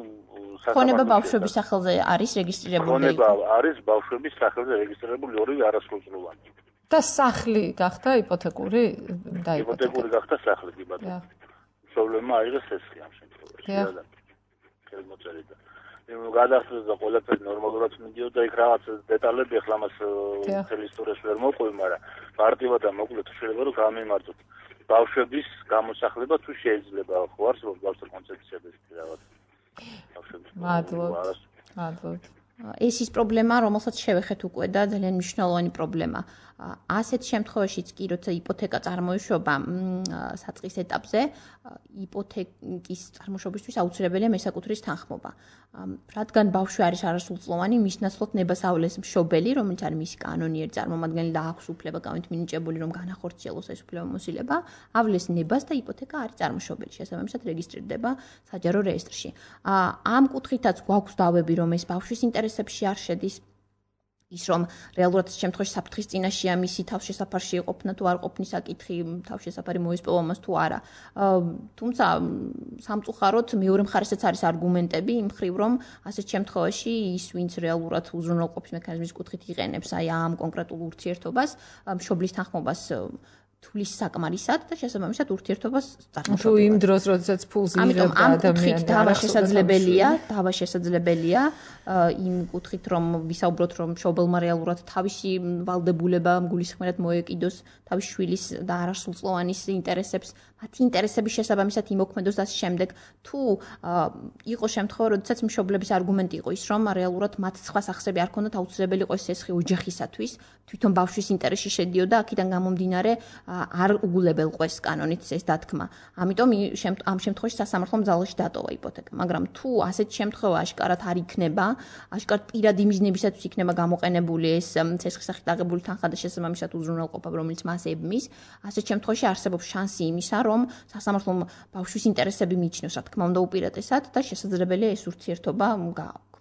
ქონება ბავშვების სახელზე არის რეგისტრირებული. ქონება არის ბავშვების სახელზე რეგისტრირებული ორივე არასრულწლოვანი. და სახლი გახდა იპოთეკური და იპოთეკური გახდა სახლი კი ბატონო. მშობლებმა აიღეს სესხი ამ შემთხვევაში. ხელმოწერილი. გადასწრეს და ყველაფერი ნორმალურად მიდიოდა იქ რაღაც დეტალები ახლა მას მთელი ისტორიას ვერ მოყვი, მაგრამ მარტივად და მოკლედ შეიძლება რომ გამიმართოთ ბავშვების გამოსახლება თუ შეიძლება ხო არსებობს ბავშვთა კონცეფციები რაღაც ბავშვების მადლობთ მადლობთ ეს ის პრობლემა რომელსაც შევეხეთ უკვე და ძალიან მნიშვნელოვანი პრობლემა ასეთ შემთხვევაშიც კი როცა იპოთეკა წარმოიშვება საწყის ეტაპზე იპოთეკის წარმოშობისთვის აუცილებელია მესაკუთრის თანხმობა რადგან ბავშვი არის არასრულწლოვანი მის ნაცვლად ნებას ავლეს მშობელი რომელიც არის მისი კანონიერი წარმომადგენელი და აქვს უფლება გამით მინიჭებული რომ განახორციელოს ეს უფლებამოსილება ავლეს ნებას და იპოთეკა არის წარმოშობელი შესაბამისად რეგისტრირდება საჯარო რეესტრში ამ კუთხითაც გვაქვს დავები რომ ეს ბავშვის ინტერესებში არ შედის ის რომ რეალურად შემთხვევაში საფრთხის წინაშეა მისი თავშესაფარში ყოფნა თუ არ ყოფნის საკითხი თავშესაფარი მოისპოვა მას თუ არა თუმცა სამწუხაროდ მეორე მხარესაც არის არგუმენტები იმ მხრივ რომ ასეთ შემთხვევაში ის ვინც რეალურად უზრუნველყოფის მექანიზმის კუთხით იყენებს აი ამ კონკრეტულ ურთიერთობას მშობლის თანხმობას თulis საკმარისად და შესაბამისად ურთიერთობას წარმოშობილად. თუ იმ დროს, როდესაც ფულს იღებდა ადამიანი და დავა შესაძლებელია, დავა შესაძლებელია იმ კუთხით რომ ვისაუბროთ რომ მშობელმა რეალურად თავისი ვალდებულება გულისხმიერად მოეკიდოს თავის შვილის და არასრულწლოვანის ინტერესებს, მათი ინტერესების შესაბამისად იმოქმედოს და შემდეგ თუ იყო შემთხვევა, როდესაც მშობლების არგუმენტი იყო ის რომ რეალურად მათ სხვა სახსრები არ ქონდათ აუცილებელი იყო ეს სესხი ოჯახისათვის, თვითონ ბავშვის ინტერესში შედიოდა, აქედან გამომდინარე არ უგულებელ ყვეს კანონით ეს დათქმა. ამიტომ ამ შემთხვევაში სასამართლომ ძალაში დატოვა იპოთეკა, მაგრამ თუ ასეთ შემთხვევა აშკარად არ იქნება, აშკარად პირადი მიზნებისათვის იქნება გამოყენებული ეს სესხის სახით აღებული თანხა და შესაბამისად უზრუნველყოფა, რომელიც მას ებმის, ასეთ შემთხვევაში არსებობს შანსი იმისა, რომ სასამართლომ ბავშვის ინტერესები მიიჩნევს, რა თქმა უნდა, უპირატესად და შესაძლებელია ეს ურთიერთობა გააქვთ.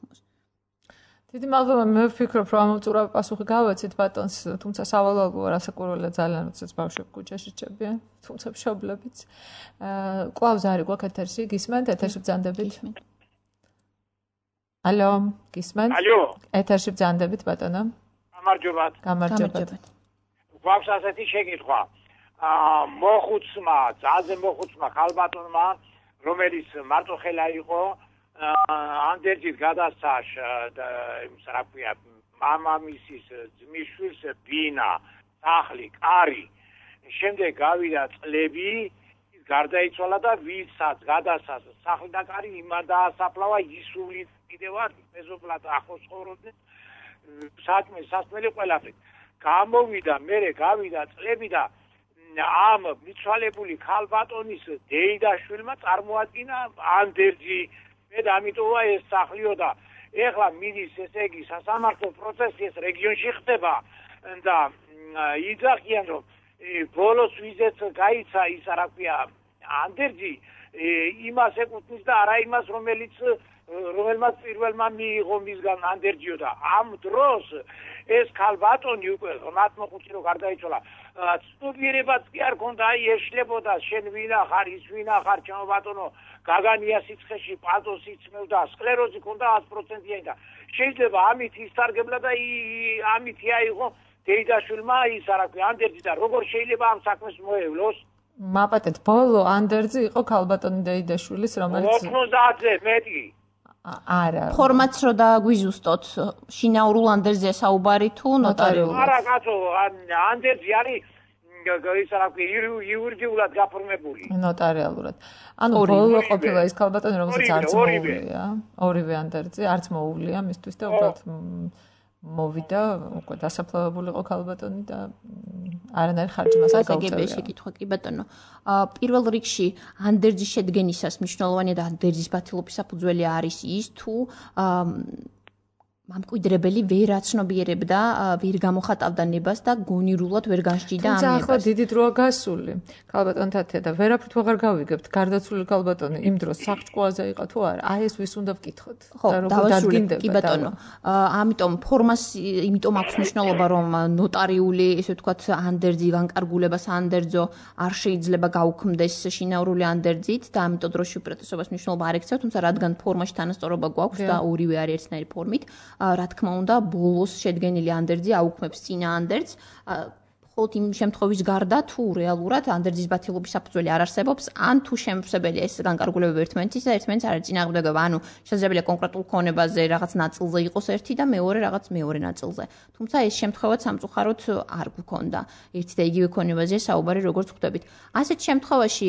დიდი მადლობა მე ვფიქრობ რომ ამოწურა პასუხი გავეცით ბატონს თუმცა სავალალოა რასაკურველია ძალიან როდესაც ბავშვები ქუჩაში რჩებიან თუმცა მშობლებიც კლავს არის გვაქვს ეთერში გისმენთ ეთერში ბრძანდებით ალო გისმენთ ალო ეთერში ბრძანდებით ბატონო გამარჯობათ გამარჯობათ გვაქვს ასეთი შეკითხვა მოხუცმა ძალზე მოხუცმა ხალბატონმა რომელიც მარტო ხელა იყო ანდერძით გადასცა იმის რა ქვია მამამისის ძმისშვილს ბინა სახლი კარი შემდეგ გავიდა წლები გარდაიცვალა და ვისაც გადასას სახლი და კარი იმან დაასაფლავა ისული კიდევ არ მეზობლად ახლოს ცხოვრობდნენ საჭმე სასმელი ყველაფერი გამოვიდა მე გავიდა წლები და ამ მიცვალებული ქალბატონის დეიდაშვილმა წარმოადგინა ანდერძი მე და ამიტომა ეს სახლიო და ეხლა მიდის ესე იგი სასამართლო პროცესი ეს რეგიონში ხდება და იძახიან რომ ბოლოს ვიზეც გაიცა ის რა ქვია ანდერძი იმას ეკუთვნის და არა იმას რომელიც რომელმაც პირველმა მიიღო მისგან ანდერძიო და ამ დროს ეს ქალბატონი უკვე ორმოცდახუთი რო გარდაიცვალა ცნობიერებაც კი არ ქონდა აი ეშლებოდა შენ ვინა ხარ ის ვინა ხარ ჩემო ბატონო გაგანია სიცხეში პალტოს იცმევდა სკლეროზი ქონდა ათი პროცენტიანი და შეიძლება ამით ისარგებლა და ამით აიღო დეიდაშვილმა ის რა ქვია ანდერძი და როგორ შეიძლება ამ საქმეს მოევლოს მაპატეთ ბოლო ანდერძი იყო ქალბატონი დეიდაშვილის რომელიც ოცდაათზე მეტი არა ფორმაც რო დაგვიზუსტოთ შინაურულ ანდერძია საუბარი თუ ნოტარიულად არა კაცო ანდერძი არის ის რა ქვია იურიდიულად გაფორმებული ნოტარიალურად ანუ ბოლო ყოფილა ის ქალბატონი რომელსაც არც მოუვლია ორივე ანდერძი არც მოუვლია მისთვის და უბრალოდ მოვიდა უკვე დასაფლავებული იყო ქალბატონი და არანაირ ხარჯი მას არ გაუწევია. გაგებია შეკითხვა კი ბატონო. პირველ რიგში ანდერძის შედგენისას მნიშვნელოვანია და ანდერძის ბათილობის საფუძველი არის ის თუ მამკვიდრებელი ვერ აცნობიერებდა, ვერ გამოხატავდა ნებას და გონირულად ვერ განსჯიდა ამ ნებას. თუმცა ახლა დიდი დროა გასული. ქალბატონთა თედა და ვერაფრით ვეღარ გავიგებთ. გარდაცვლილი ქალბატონი იმ დროს სახლჭკუაზე იყო თუ არა? აი ეს ვის უნდა ვკითხოთ? და როგორ დადგინდება? კი ბატონო. ამიტომ ფორმას იმიტომ აქვს მნიშვნელობა რომ ნოტარიული, ესე ვთქვათ, ანდერძი განკარგულებას ანდერძო არ შეიძლება გაუქმდეს შინაურული ანდერძით და ამიტომ დროში უპირატესობას მნიშვნელობა არ ექცევს, თუმცა რადგან ფორმაში თანასწორობა გვაქვს და ორივე არის ერთნაირი ფორმით რა თქმა უნდა ბოლოს შედგენილი ანდერძი აუქმებს წინა ანდერძს ხოლო იმ შემთხვევის გარდა თუ რეალურად ანდერძის ბათილობის საფუძველი არ არსებობს ან თუ შემსებელია ეს განკარგულებები ერთმანეთის და ერთმანეთს არ ეწინააღმდეგება ანუ შესაძლებელია კონკრეტულ ქონებაზე რაღაც ნაწილზე იყოს ერთი და მეორე რაღაც მეორე ნაწილზე თუმცა ეს შემთხვევა სამწუხაროდ არ გვქონდა ერთი და იგივე ქონებაზე საუბარი როგორც ხვდებით ასეთ შემთხვევაში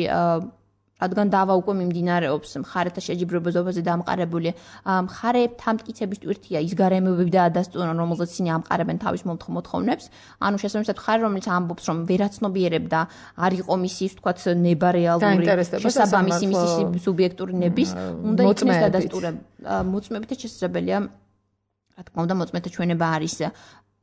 რადგან დავა უკვე მიმდინარეობს მხარეთა შეჯიბრებაზე დამყარებული მხარეებთან მტკიცების ტვირთია ის გარემოებები და ადასტურონ რომელზეც ისინი ამყარებენ თავის მოთხოვნებს ანუ შესაბამისად მხარე რომელიც ამბობს რომ ვერაცნობიერებდა არ იყო მისი ვთქვათ ნება რეალური შესაბამისი მისი სუბიექტური ნების უნდა იქნეს დადასტურება მოწმებით და შესაძლებელია რა თქმა უნდა მოწმეთა ჩვენება არის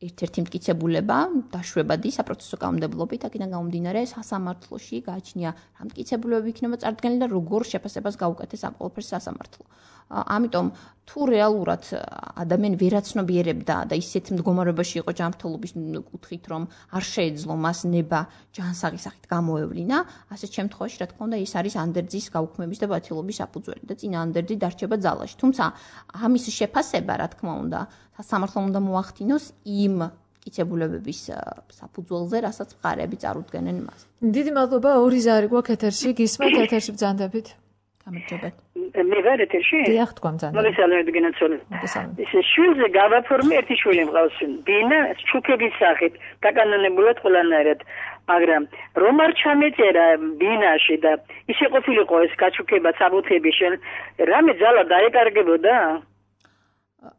ერთ-ერთი მტკიცებულება დაშვებადი საპროცესო კანონმდებლობით აქედან გამომდინარე სასამართლოში გააჩნია რა მტკიცებულებები იქნება წარდგენილი და როგორ შეფასებას გაუკეთეს ამ ყველაფერს სასამართლო. ამიტომ თუ რეალურად ადამიანი ვერაცნობიერებდა და ისეთ მდგომარეობაში იყო ჯანმრთელობის კუთხით რომ არ შეეძლო მას ნება ჯანსაღის სახით გამოევლინა, ასეთ შემთხვევაში რა თქმა უნდა ის არის ანდერძის გაუქმების და ბათილობის საფუძველი და წინა ანდერძი დარჩება ძალაში. თუმცა ამის შეფასება რა თქმა უნდა სასამართლომ უნდა მოახდინოს იმ მტკიცებულებების საფუძველზე, რასაც მხარეები წარუდგენენ მას. დიდი მადლობა ორი ზარი გვაქვს ეთერში, გისმენთ ეთერში ბრძანდებით. გამარჯობათ. მე ვარ ეთერში? დიახ, თქვა ბრძანდებით. მოგესალმებით გენაცოლე. ეს შვილზე გავაფორმე ერთი შვილი მყავს. ბინა ჩუქების სახით დაკანონებულად ყველანაირად. მაგრამ რომ არ ჩამეწერა ბინაში და ისე ყოფილიყო ეს გაჩუქება საბუთები შენ რამე ძალა დაეკარგებოდა?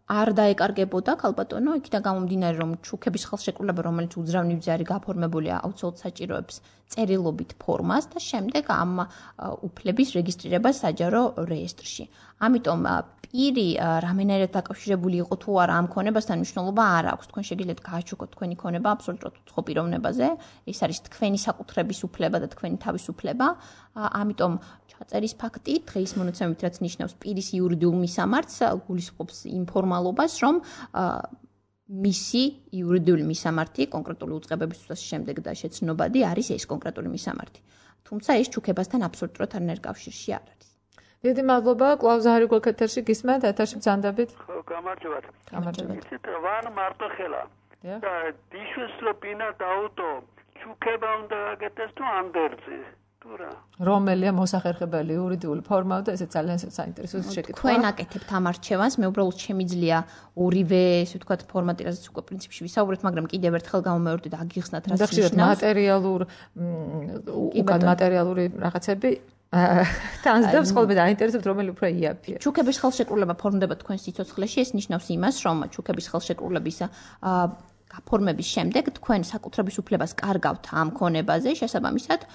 არ დაეკარგებოდა ქალბატონო, იქიდან გამომდინარე რომ ჩუქების ხელშეკრულება რომელიც უძრავი ბრძარი გაფორმებულია აუცილებლად საჭიროებს წერილობით ფორმას და შემდეგ ამ უფლების რეგისტრირებას საჯარო რეესტრში. ამიტომ პირი რამენერად დაკავშირებული იყო თუ არა ამ ქონებასთან მნიშვნელობა არ აქვს. თქვენ შეგიძლიათ გააჩუქოთ თქვენი ქონება აბსოლუტურად უცხო პიროვნებაზე. ეს არის თქვენი საკუთრების უფლება და თქვენი თავისუფლება. ამიტომ ჩაწერის ფაქტი დღის მონაცემებით რაც ნიშნავს პირის იურიდიულ მისამართს გულისხმობს იმ ფორმალობას, რომ მისი იურიდიული მისამართი კონკრეტული უწყებებისთვის შემდეგ და შეცნობადი არის ეს კონკრეტული მისამართი. თუმცა ეს ჩუქებასთან აბსოლუტურად არანაირ კავშირში არ არის. დიდი მადლობა, კლავზარი გვაქვს ეთერში, გისმენთ, ეთერში ბრძანდებით. ხო, გამარჯობათ. გამარჯობათ. იცით, ვარ მარტოხელა. და დიშვის რო ბინა დაუტო, ჩუქება უნდა გაკეთდეს თუ ანდერძი. რომელია მოსახერხებელი იურიდიული ფორმა და ესე ძალიან საინტერესო შეკითხვა. თქვენ აკეთებთ ამ არჩევანს, მე უბრალოდ შემიძლია ორივე, ესე ვთქვათ, ფორმატი, რასაც უკვე პრინციპში ვისაუბრეთ, მაგრამ კიდევ ერთხელ გამომეორდით და აგიხსნათ რაც ნიშნავს. მატერიალურ უკან მატერიალური რაღაცები თანსდებს ხოლმე დაინტერესებთ რომელი უფრო იაფია. ჩუქების ხელშეკრულება ფორმდება თქვენ სიცოცხლეში, ეს ნიშნავს იმას, რომ ჩუქების ხელშეკრულების გაფორმების შემდეგ თქვენ საკუთრების უფლებას კარგავთ ამ ქონებაზე, შესაბამისად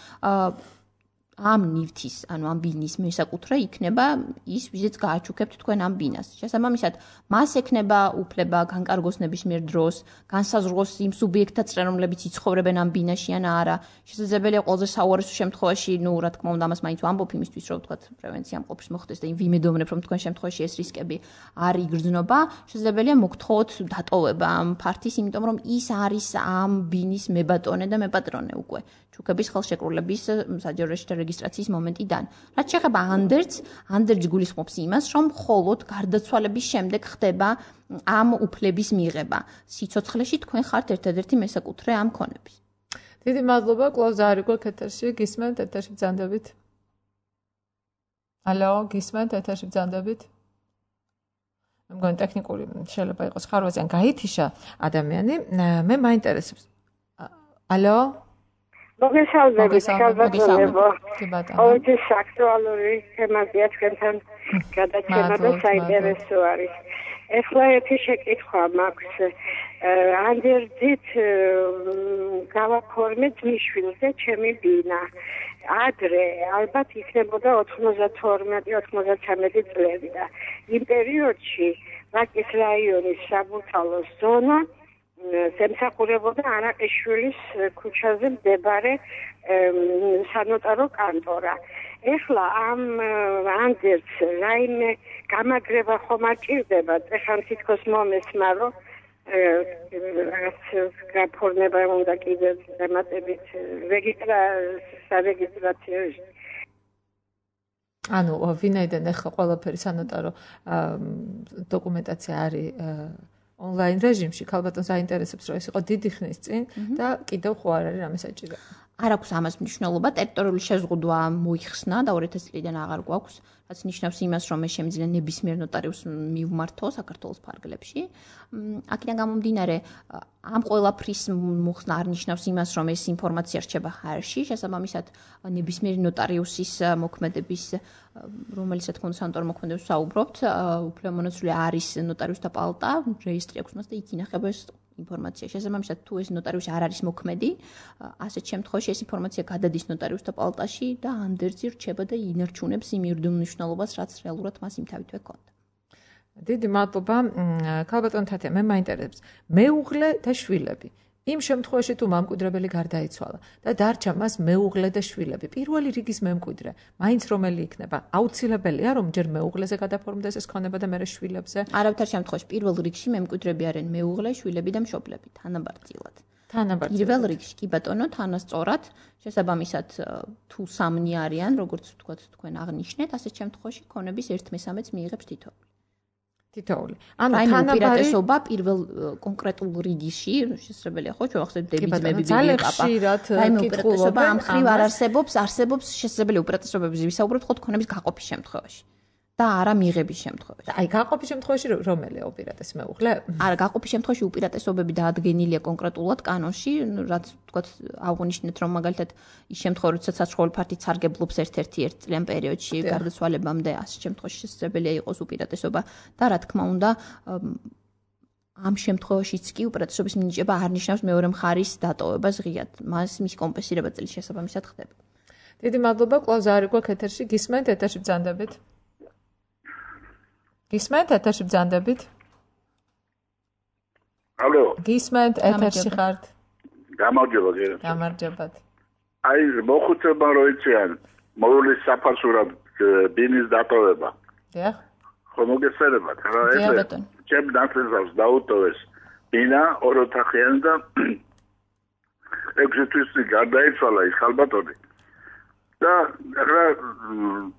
ამ ნივთის, ანუ ამ ბინის მესაკუთრე იქნება ის, ვიზეც გააჩუქებთ თქვენ ამ ბინას. შესაბამისად, მას ექნება უფლება განკარგოს ნებისმიერ დროს, განსაზღვროს იმ სუბიექტთა წრე, რომლებიც იცხოვრებენ ამ ბინაში ან არა. შესაძლებელია ყველაზე საუარესო შემთხვევაში, ნუ რა თქმა უნდა, ამას მაინც ვამბობ იმისთვის, რომ ვთქვათ, პრევენცია მყოფის მოხდეს და იმ ვიმედოვნებ, რომ თქვენ შემთხვევაში ეს რისკები არ იგრძნობა, შესაძლებელია მოგთხოვოთ დატოვება ამ ფართის, იმიტომ რომ ის არის ამ ბინის მებატონე და მეპატრონე უკვე. ჩუქების ხელშეკრულების საჯარო რეგისტრაციის მომენტიდან. რაც შეეხება ანდერძს, ანდერძი გულისხმობს იმას, რომ მხოლოდ გარდაცვალების შემდეგ ხდება ამ უფლების მიღება. სიცოცხლეში თქვენ ხართ ერთადერთი მესაკუთრე ამ ქონების. დიდი მადლობა, კლავს არის გვაქვს ეთერში, გისმენთ, ეთერში ბრძანდებით. ალო, გისმენთ, ეთერში ბრძანდებით. მე მგონი ტექნიკური შეიძლება იყოს ხარვაზე ან გაითიშა ადამიანი, მე მაინტერესებს. ალო? მოგესალმებით, ხალბატონებო. ყოველთვის აქტუალური თემებია თქვენთან გადაცემა და საინტერესო არის. ეხლა ერთი შეკითხვა მაქვს. ანდერძით გავაფორმეთ მიშვილზე ჩემი ბინა. ადრე ალბათ იქნებოდა ოთხმოცდათორმეტი ოთხმოცდათრამეტი წლები და იმ პერიოდში ვაკის რაიონის საბურთალოს ზონა ემსახურებოდა არაყიშვილის ქუჩაზე მდებარე სანოტარო კანტორა. ეხლა ამ ანდერძს რაიმე გამაგრება ხომ არ ჭირდება? ეხლა თითქოს მომესმა, რომ რაღაც გაფორმება უნდა კიდევ დამატებით რეგისტრაციაში. ანუ ვინაიდან ეხლა ყველაფერი სანოტარო დოკუმენტაცია არის ონლაინ რეჟიმში, ქალბატონს აინტერესებს, რომ ეს იყო დიდი ხნის წინ და კიდევ ხო არ არის რამე საჭირო. არ აქვს ამას მნიშვნელობა, ტერიტორიული შეზღუდვა მოიხსნა და ორი ათასი წლიდან აღარ გვაქვს, რაც ნიშნავს იმას, რომ მე შემიძლია ნებისმიერ ნოტარიუსს მივმართო საქართველოს ფარგლებში. აქედან გამომდინარე, ამ ყველაფრის მოხსნა არ ნიშნავს იმას, რომ ეს ინფორმაცია რჩება ხარში, შესაბამისად ნებისმიერი ნოტარიუსის მოქმედების, რომელიცაც თქვენ სანატორო მოქმედებს საუბრობთ, უფლებამონაცვლე არის ნოტარიუსთა პალატა, რეესტრი აქვს მას და იქ ინახება ეს ინფორმაცია. შესაბამისად, თუ ეს ნოტარიუსი არ არის მოქმედი, ასეთ შემთხვევაში ეს ინფორმაცია გადადის ნოტარიუსთა პალატაში და ანდერძი რჩება და ინარჩუნებს იმ იურიდიულ მნიშვნელობას, რაც რეალურად მას იმთავითვე ჰქონდა. დიდი მადლობა, ქალბატონ თათია, მე მაინტერესებს მეუღლე და შვილები. იმ შემთხვევაში თუ მამკვიდრებელი გარდაიცვალა და დარჩა მას მეუღლე და შვილები, პირველი რიგის მემკვიდრე, მაინც რომელი იქნება? აუცილებელია რომ ჯერ მეუღლეზე გადაფორმდეს ეს ქონება და მერე შვილებზე? არავითარ შემთხვევაში პირველ რიგში მემკვიდრები არიან მეუღლე, შვილები და მშობლები, თანაბარწილად. თანაბარწილად. პირველ რიგში კი ბატონო, თანასწორად, შესაბამისად თუ სამნი არიან, როგორც ვთქვათ, თქვენ აღნიშნეთ, ასეთ შემთხვევაში ქონების ერთ მესამედს მიიღებს თითოეული. თითოეული. ანუ თანაბარწილობა პირველ კონკრეტულ რიგში, შესაძლებელია ხო, ჩვენ ახსენებთ დებიძმები, ბიბლიოპაპა. რაიმე უპირატესობა ამ ხრივ არ არსებობს, არსებობს შესაძლებელი უპირატესობების ვისაუბრებთ ხო ქონების გაყოფის შემთხვევაში. და არა მიღების შემთხვევაში. აი, გაყოფის შემთხვევაში რომელია უპირატეს მეუღლე? არა, გაყოფის შემთხვევაში უპირატესობები დაადგენილია კონკრეტულად კანონში, რაც ვთქვათ, აღნიშნეთ, რომ მაგალითად ის შემთხვევა, როდესაც საცხოვრებელი ფართი სარგებლობს ერთ-ერთი ერთ წლიან პერიოდში გარდაცვალებამდე, ასეთ შემთხვევაში შესაძლებელია იყოს უპირატესობა და რა თქმა უნდა, ამ შემთხვევაშიც კი უპირატესობის მინიჭება არ ნიშნავს მეორე მხარის დატოვებას ღიად. მას მის კომპენსირება წლის შესაბამისად ხდება. დიდი მადლობა, კლავს არის გვაქვს ეთერში, გისმენთ, ეთერში ბრძანდებით. გისმენთ, ეთერში ბრძანდებით. ალო. გისმენთ, ეთერში ხართ. გამარჯობა, გერა. გამარჯობათ. აი, მოხუცებმა რო იციან, მოულის საფასურად ბინის დატოვება. დიახ. ხო მოგესალმებით, რა ეს ჩემ დაწესავს დაუტოვეს ბინა ორ ოთახიანი და ექვსი თვის გარდაიცვალა ის ხალბატონი. და ახლა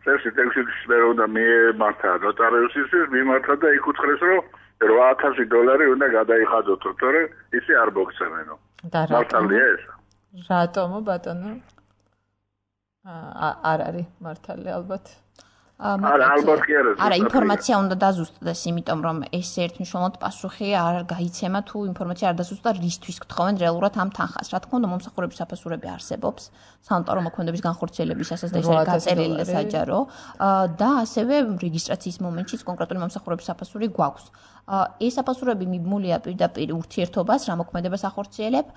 წესი ტექსტის მე უნდა მიმართა ნოტარიუსისთვის, მიმართა და იქ უთხრეს, რომ რვა ათასი დოლარი უნდა გადაიხადოთო, თორე ისი არ მოგცემენო. და მართალია ეს? რატომო ბატონო? არ არის მართალი ალბათ. არა, ალბათ კი არა. არა, ინფორმაცია უნდა დაზუსტდეს, იმიტომ რომ ეს ერთმნიშვნელოვნად პასუხი არ გაიცემა თუ ინფორმაცია არ დაზუსტდა რისთვის გთხოვენ რეალურად ამ თანხას. Რა თქმა უნდა, მომსახურების საფასურები არსებობს, სამონტარო მოქმედების განხორციელებისასაც და ეს არის გაწერილი და საჯარო და ასევე რეგისტრაციის მომენტშიც კონკრეტული მომსახურების საფასური გვაქვს. ეს საფასურები მიბმულია პირდაპირ ურთიერთობას, რა მოქმედებას ახორციელებ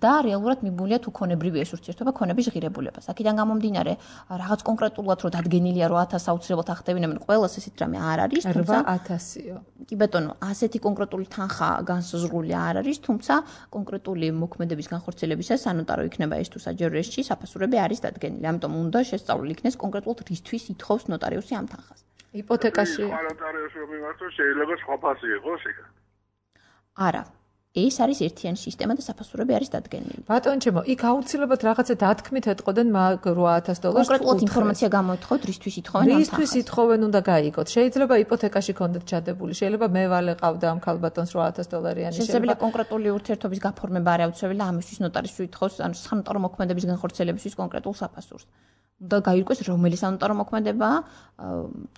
და რეალურად მიბმულია თუ ქონებრივი ეს ურთიერთობა, ქონების ღირებულებას. აქედან გამომდინარე, რაღაც კონკრეტულად რო დადგენილია რომ ათას აუცილებლად ახდევინებენ ყველას ესეთ რამე არ არის, თუმცა რვა ათასიო. კი ბატონო, ასეთი კონკრეტული თანხა განსაზღვრული არ არის, თუმცა კონკრეტული მოქმედების განხორციელებისას სანოტარო იქნება ეს თუ საჯარო რეესტრში საფასურები არის დადგენილი. ამიტომ უნდა შესწავლილი იქნეს კონკრეტულად რისთვის ითხოვს ნოტარიუსი ამ თანხას. იპოთეკაში ნოტარიუსი რომ იმართოს შეიძლება სხვა ფასი იყოს იქ. არა. ეს არის ერთიანი სისტემა და საფასურები არის დადგენილი. ბატონო ჩემო, იქ აუცილებლად რაღაცა დათქმით ეთყოდენ მაგ რვა ათას დოლარს. კონკრეტულად ინფორმაცია გამოეთხოვთ, რისთვის ითხოვენ ამ თანხას. რისთვის ითხოვენ უნდა გაიგოთ. შეიძლება იპოთეკაში კონდეთ ჩადებული, შეიძლება მე ვალეყავდა ამ ქალბატონს რვა ათას დოლარიანი. შეიძლება კონკრეტული ურთიერთობის გაფორმება არ აუცილებელი და ამისთვის ნოტარიუსი ითხოვს, ანუ სამონტარო მოქმედების განხორციელებისთვის კონკრეტულ საფასურს. და გაირკვეს რომელი სამონტარო მოქმედებაა,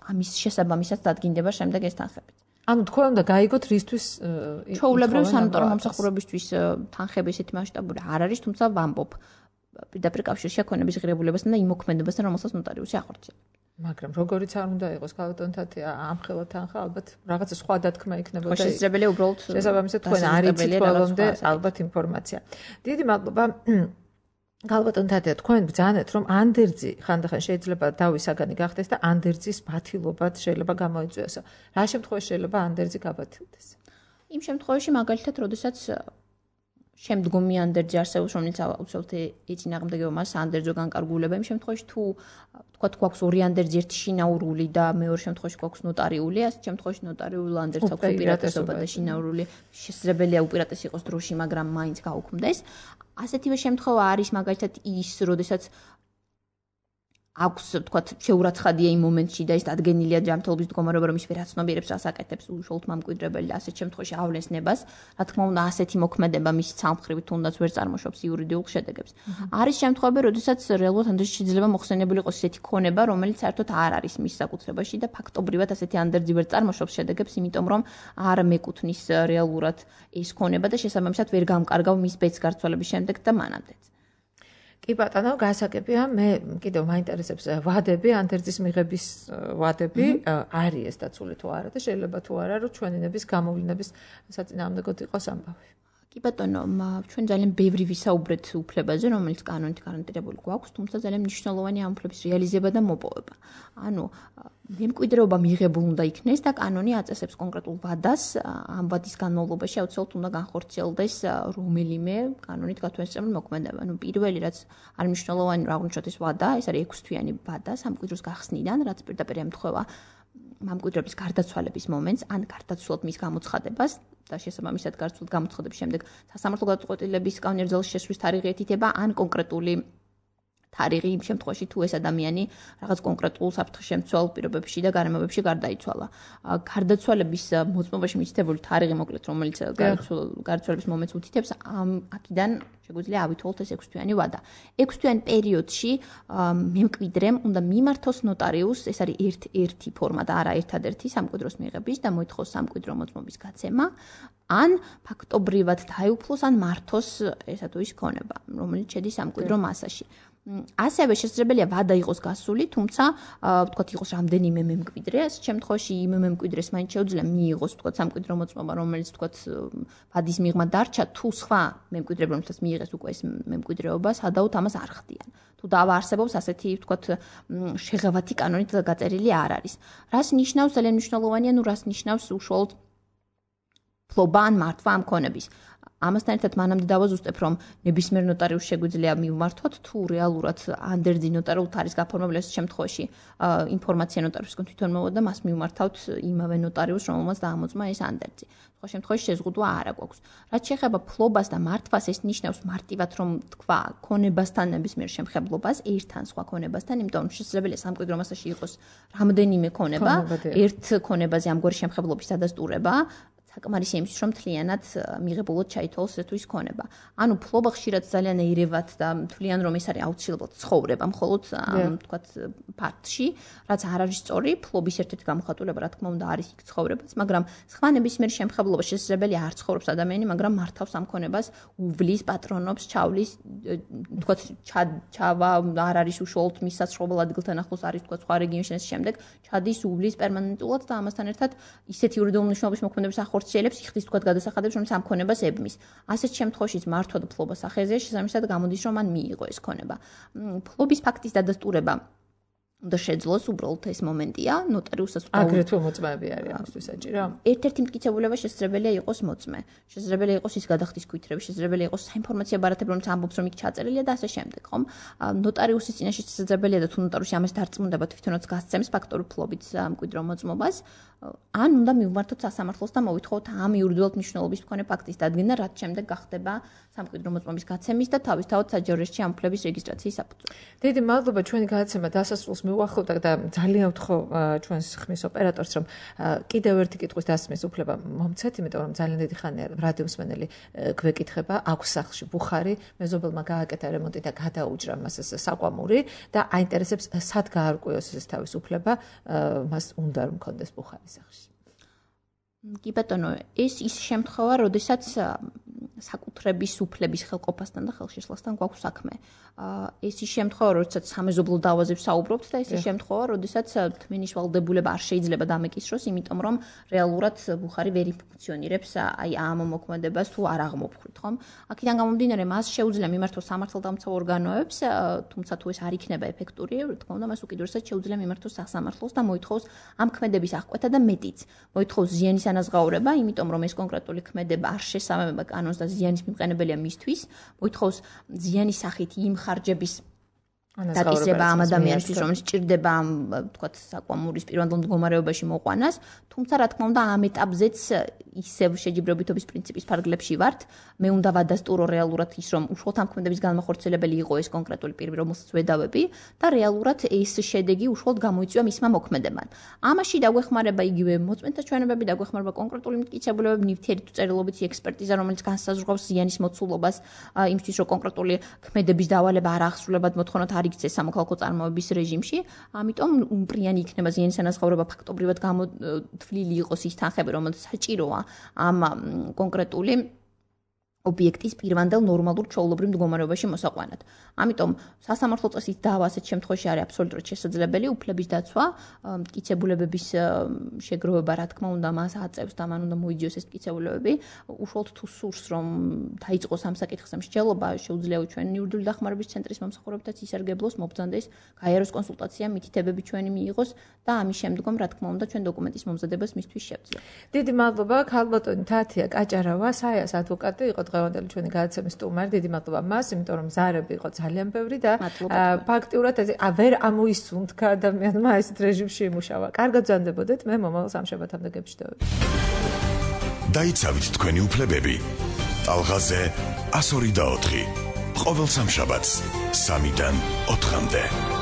ამის შესაბამისად დადგინდება შემდეგ ეს თანხები. ანუ თქვენ უნდა გაიგოთ რისთვის ჩვეულებრივ სამონტარო მომსახურებისთვის თანხები ესეთი მასშტაბური არ არის, თუმცა ვამბობ პირდაპირ კავშირში ქონების ღირებულებასთან და იმ მოქმედებასთან, რომელსაც ნოტარიუსი ახორციელებს. მაგრამ როგორიც არ უნდა იყოს ქალბატონთათი ამხელა თანხა, ალბათ რაღაცა სხვა დათქმა იქნებოდა. შესაძლებელია უბრალოდ შესაბამისად თქვენ არ იცით ბოლომდე ალბათ ინფორმაცია. დიდი მადლობა. ქალბატონთათი, თქვენ ბრძანეთ, რომ ანდერძი ხანდახან შეიძლება დავის საგანი გახდეს და ანდერძის ბათილობად შეიძლება გამოიწვიოსო. რა შემთხვევაში შეიძლება ანდერძი გაბათილდეს? იმ შემთხვევაში მაგალითად, როდესაც შემდგომი ანდერძი არსებობს, რომელიც აუცილებლად ეწინააღმდეგება მას ანდერძო განკარგულება, იმ შემთხვევაში თუ თქვა გვაქვს ორი ანდერძი, ერთი შინაურული და მეორე შემთხვევაში გვაქვს ნოტარიული, ასეთ შემთხვევაში ნოტარიულ ანდერძს აქვს უპირატესობა და შინაურული შესაძლებელია უპირატესი იყოს დროში, მაგრამ მაინც გაუქმდეს. ასეთივე შემთხვევა არის მაგალითად ის, როდესაც აქვს, თქვათ, შეურაცხადია იმ მომენტში და ის დადგენილია ჯანმრთელობის მდგომარეობა, რომ ის ვერაცნობიერებს რას აკეთებს უშუალოდ მამკვიდრებელი და ასეთ შემთხვევაში ავლენს ნებას. რა თქმა უნდა, ასეთი მოქმედება მის სამხრივით თუნდაც ვერ წარმოშობს იურიდიულ შედეგებს. არის შემთხვევები, როდესაც რეალურად ანდერძი შეიძლება მოხსენებული იყოს ისეთი ქონება, რომელიც საერთოდ არ არის მის საკუთრებაში და ფაქტობრივად ასეთი ანდერძი ვერ წარმოშობს შედეგებს, იმიტომ რომ არ მეკუთვნის რეალურად ეს ქონება და შესაბამისად ვერ გამკარგავ მის ბედს გარცვალების შემდეგ და მანამდეც. კი ბატონო, გასაგებია, მე კიდევ მაინტერესებს ვადები, ანდერძის მიღების ვადები, არის ეს დაცული თუ არა და შეიძლება თუ არა, რომ ჩვენინების გამოვლინების საწინააღმდეგოდ იყოს ამბავი. კი ბატონო, ჩვენ ძალიან ბევრი ვისაუბრეთ უფლებაზე, რომელიც კანონით გარანტირებული გვაქვს, თუმცა ძალიან მნიშვნელოვანია ამ უფლების რეალიზება და მოპოვება. ანუ მემკვიდრეობა მიღებულ უნდა იქნეს და კანონი აწესებს კონკრეტულ ვადას, ამ ვადის განმავლობაში აუცილებლად უნდა განხორციელდეს რომელიმე კანონით გათვალისწინებული მოქმედება. ანუ პირველი რაც არის მნიშვნელოვანი, რომ აღვნიშნოთ ეს ვადა, ეს არის ექვსთვიანი ვადა სამკვიდროს გახსნიდან, რაც პირდაპირ ემთხვევა მამკვიდრების გარდაცვალების მომენტს, ან გარდაცვლილად მის გამოცხადებას და შესაბამისად გარდაცვლილად გამოცხადების შემდეგ სასამართლო გადაწყვეტილების კანონიერძალში შესვლის თარიღი ეთითება, ან კონკრეტული თარიღი იმ შემთხვევაში თუ ეს ადამიანი რაღაც კონკრეტულ საფრთხესშემცველ პირობებში და გარემოებებში გარდაიცვალა. გარდაცვალების მოწმობაში მითითებული თარიღი მოკლედ, რომელიც გარდაცვალების მომენტს უთითებს, ამ აქედან შეგვიძლია ავითვალოთ ეს ექვსთვიანი ვადა. ექვსთვიან პერიოდში მემკვიდრემ უნდა მიმართოს ნოტარიუსს, ეს არის ერთ-ერთი ფორმა და არა ერთადერთი სამკვიდროს მიღების და მოითხოვს სამკვიდრო მოწმობის გაცემა, ან ფაქტობრივად დაეუფლოს, ან მართოს ესა თუ ის ქონება, რომელიც შედის სამკვიდრო მასაში. ასევე შესაძლებელია ვადა იყოს გასული, თუმცა ვთქვათ იყოს რამდენიმე მემკვიდრე, ამ შემთხვევაში იმ მემკვიდრეს მაინც შეუძლია მიიღოს ვთქვათ სამკვიდრო მოწმობა, რომელიც ვთქვათ ვადის მიღმა დარჩა, თუ სხვა მემკვიდრეები რომელსაც მიიღეს უკვე ეს მემკვიდრეობა, სადაოდ ამას არ ხდიან. თუ დავა არსებობს ასეთი ვთქვათ შეღავათი კანონით გაწერილი არ არის. რას ნიშნავს ძალიან მნიშვნელოვანია, ნუ რას ნიშნავს უშუალოდ ფლობა ან მართვა ამ ქონების. ამასთან ერთად მანამდე დავაზუსტებ, რომ ნებისმიერ ნოტარიუსს შეგვიძლია მივმართოთ, თუ რეალურად ანდერძი ნოტარიულად არის გაფორმებული ეს შემთხვევაში ინფორმაცია ნოტარიუსისგან თვითონ მოვიდა, მას მივმართავთ იმავე ნოტარიუსს, რომელმაც დაამოწმა ეს ანდერძი. სხვა შემთხვევაში შეზღუდვა არ აქვს. რაც შეეხება ფლობას და მართვას, ეს ნიშნავს მარტივად, რომ თქვა ქონებასთან ნებისმიერ შემხებლობას, ერთთან სხვა ქონებასთან, იმიტომ რომ შესაძლებელია სამკვიდრო მასაში იყოს რამდენიმე ქონება, ერთ ქონებაზე ამგვარი შემხებლობის დადასტურება საკმარისი იმისთვის, რომ მთლიანად მიღებულად ჩაითვალოს ესეთვის ქონება. ანუ ფლობა ხშირად ძალიან ეირებათ და თვლიან, რომ ეს არის აუცილებლად ცხოვრება, მხოლოდ თქვათ ფაქტში, რაც არ არის სწორი, ფლობის ერთ-ერთი გამოხატულება, რა თქმა უნდა, არის იქ ცხოვრებაც, მაგრამ სხვა ნებისმიერ შემთხვევაში შესაძლებელია არ ცხოვრობს ადამიანი, მაგრამ მართავს ამ ქონებას, უვლის, პატრონობს, ჩავლის, თქვათ ჩავა არ არის უშუალოდ მის საცხოვრებელ ადგილთან ახლოს არის თქვათ სხვა რეგიონში ეს შემდეგ, ჩადის უვლის პერმანენტულად და ამასთან ერთად ისეთი იურიდიული მნიშვნელობის მოქმედების ახორციელებს იხდის თქვათ გადასახადებს, რომელიც ამ ქონებას ებმის. ასეთ შემთხვევაში მართვა და ფლობა სახეზეა შესაბამისად გამოდის, რომ მან მიიღო ეს ქონება. ფლობის ფაქტის დადასტურება და შეძლოს უბრალოდ ეს მომენტია ნოტარიუსს აგრეთვე მოწმეები არის ამისთვის საჭირო. ერთ-ერთი მტკიცებულება შესაძლებელია იყოს მოწმე. შესაძლებელია იყოს ის გადახდის ქვითრები, შესაძლებელია იყოს საინფორმაციო ბარათები, რომელიც ამბობს, რომ იქ ჩაწერილია და ასე შემდეგ, ხომ? ნოტარიუსის წინაშე შესაძლებელია და თუ ნოტარიუსი ამას დარწმუნდება, თვითონაც გასცემს ფაქტური ფლობით მკვიდრო მოწმობას. ან უნდა მივმართოთ სასამართლოს და მოვითხოვოთ ამ იურიდიულად მნიშვნელობის მქონე ფაქტის დადგენა, რაც შემდეგ გახდება სამკვიდრო მოწმობის გაცემის და თავისთავად საჯარო რეესტრში ამ უფლების რეგისტრაციის საფუძველი. დიდი მადლობა ჩვენი გადაცემა დასასრულს მივუახლოვდა და ძალიან ვთხოვ ჩვენს ხმის ოპერატორს, რომ კიდევ ერთი კითხვის დასმის უფლება მომცეთ, იმიტომ რომ ძალიან დიდი ხანია რადიო მსმენელი გვეკითხება, აქვს სახლში ბუხარი, მეზობელმა გააკეთა რემონტი და გადაუჭრა მას ეს საკვამური და აინტერესებს სად გაარკვიოს ეს თავის უფლება, მას უნდა რომ მქონდეს ბუხარი სახში. კი ბატონო, ეს ის შემთხვევა, როდესაც საკუთრების უფლების ხელყოფასთან და ხელშესლასთან გვაქვს საქმე. ეს ის შემთხვევა, როდესაც სამეზობლო დავაზებს საუბრობთ და ეს ის შემთხვევა, როდესაც თმენის ვალდებულება არ შეიძლება დამეკისროს, იმიტომ რომ რეალურად ბუხარი ვერ ფუნქციონირებს აი ამ მოქმედებას თუ არ აღმოფხვრით, ხომ? აქედან გამომდინარე, მას შეუძლია მიმართოს სამართალდამცავ ორგანოებს, თუმცა თუ ეს არ იქნება ეფექტური, თქმა უნდა, მას უკიდურესად შეუძლია მიმართოს სასამართლოს და მოითხოვოს ამ ქმედების აღკვეთა და მეტიც. მოითხოვოს ზიანის ანაზღაურება, იმიტომ რომ ეს კონკრეტული ქმედება არ შესაბამება კანონს და ზიანის მიმყენებელია მისთვის, მოითხოვოს ზიანის სახით იმ ხარჯების დაკისრება ამ ადამიანისთვის, რომელიც ჭირდება ამ თქვათ საკვამურის პირვანდელ მდგომარეობაში მოყვანას, თუმცა რა თქმა უნდა ამ ეტაპზეც ისევ შეჯიბრებითობის პრინციპის ფარგლებში ვართ. მე უნდა ვადასტურო რეალურად ის, რომ უშუალოდ ამ ქმედების განმახორციელებელი იყო ეს კონკრეტული პირი, რომელსაც ვედავები და რეალურად ეს შედეგი უშუალოდ გამოიწვია მისმა მოქმედებამ. ამაში დაგვეხმარება იგივე მოწმენთა ჩვენებები, დაგვეხმარება კონკრეტული მტკიცებულებები, ნივთიერი თუ წერილობითი ექსპერტიზა, რომელიც განსაზღვრავს ზიანის მოცულობას, იმისთვის რომ კონკრეტული ქმედების დავალება არ აღსრულებად მოთხოვნათ არ იქცეს სამოქალაქო წარმოების რეჟიმში, ამიტომ უმპრიანი იქნება ზიანის ანაზღაურება ფაქტობრივად გამოთვლილი იყოს ის თანხები, რომელიც საჭიროა ამ კონკრეტული ობიექტის პირვანდელ ნორმალურ ჩვეულებრივ მდგომარეობაში მოსაყვანად. ამიტომ სასამართლო წესით დავა ასეთ შემთხვევაში არის აბსოლუტურად შესაძლებელი, უფლების დაცვა, მტკიცებულებების შეგროვება, რა თქმა უნდა, მას აწევს და მან უნდა მოიძიოს ეს მტკიცებულებები. უშუალოდ თუ სურს, რომ დაიწყოს ამ საკითხზე მსჯელობა, შეუძლია ჩვენ იურიდიული დახმარების ცენტრის მომსახურებითაც ისარგებლოს, მობრძანდეს, გაიაროს კონსულტაცია, მითითებები ჩვენი მიიღოს და ამის შემდგომ, რა თქმა უნდა, ჩვენ დოკუმენტის მომზადებას მისთვის შევძლებ. დიდი მადლობა, ქალბატონი თათია კაჭარავა, საიას ადვოკატი იყო დღევანდელი ჩვენი გადაცემის სტუმარი. დიდი მადლობა მას, იმიტომ რომ ზარები იყო ძალიან ბევრი და ფაქტიურად ვერ ამოისუნთქა ადამიანმა ესეთ რეჟიმში იმუშავა. კარგად ბრძანდებოდეთ, მე მომავალ სამშაბათამდე გეფშდები. დაიცავით თქვენი უფლებები. ტალღაზე ასორი და ოთხი. ყოველ სამშაბათს სამიდან ოთხამდე.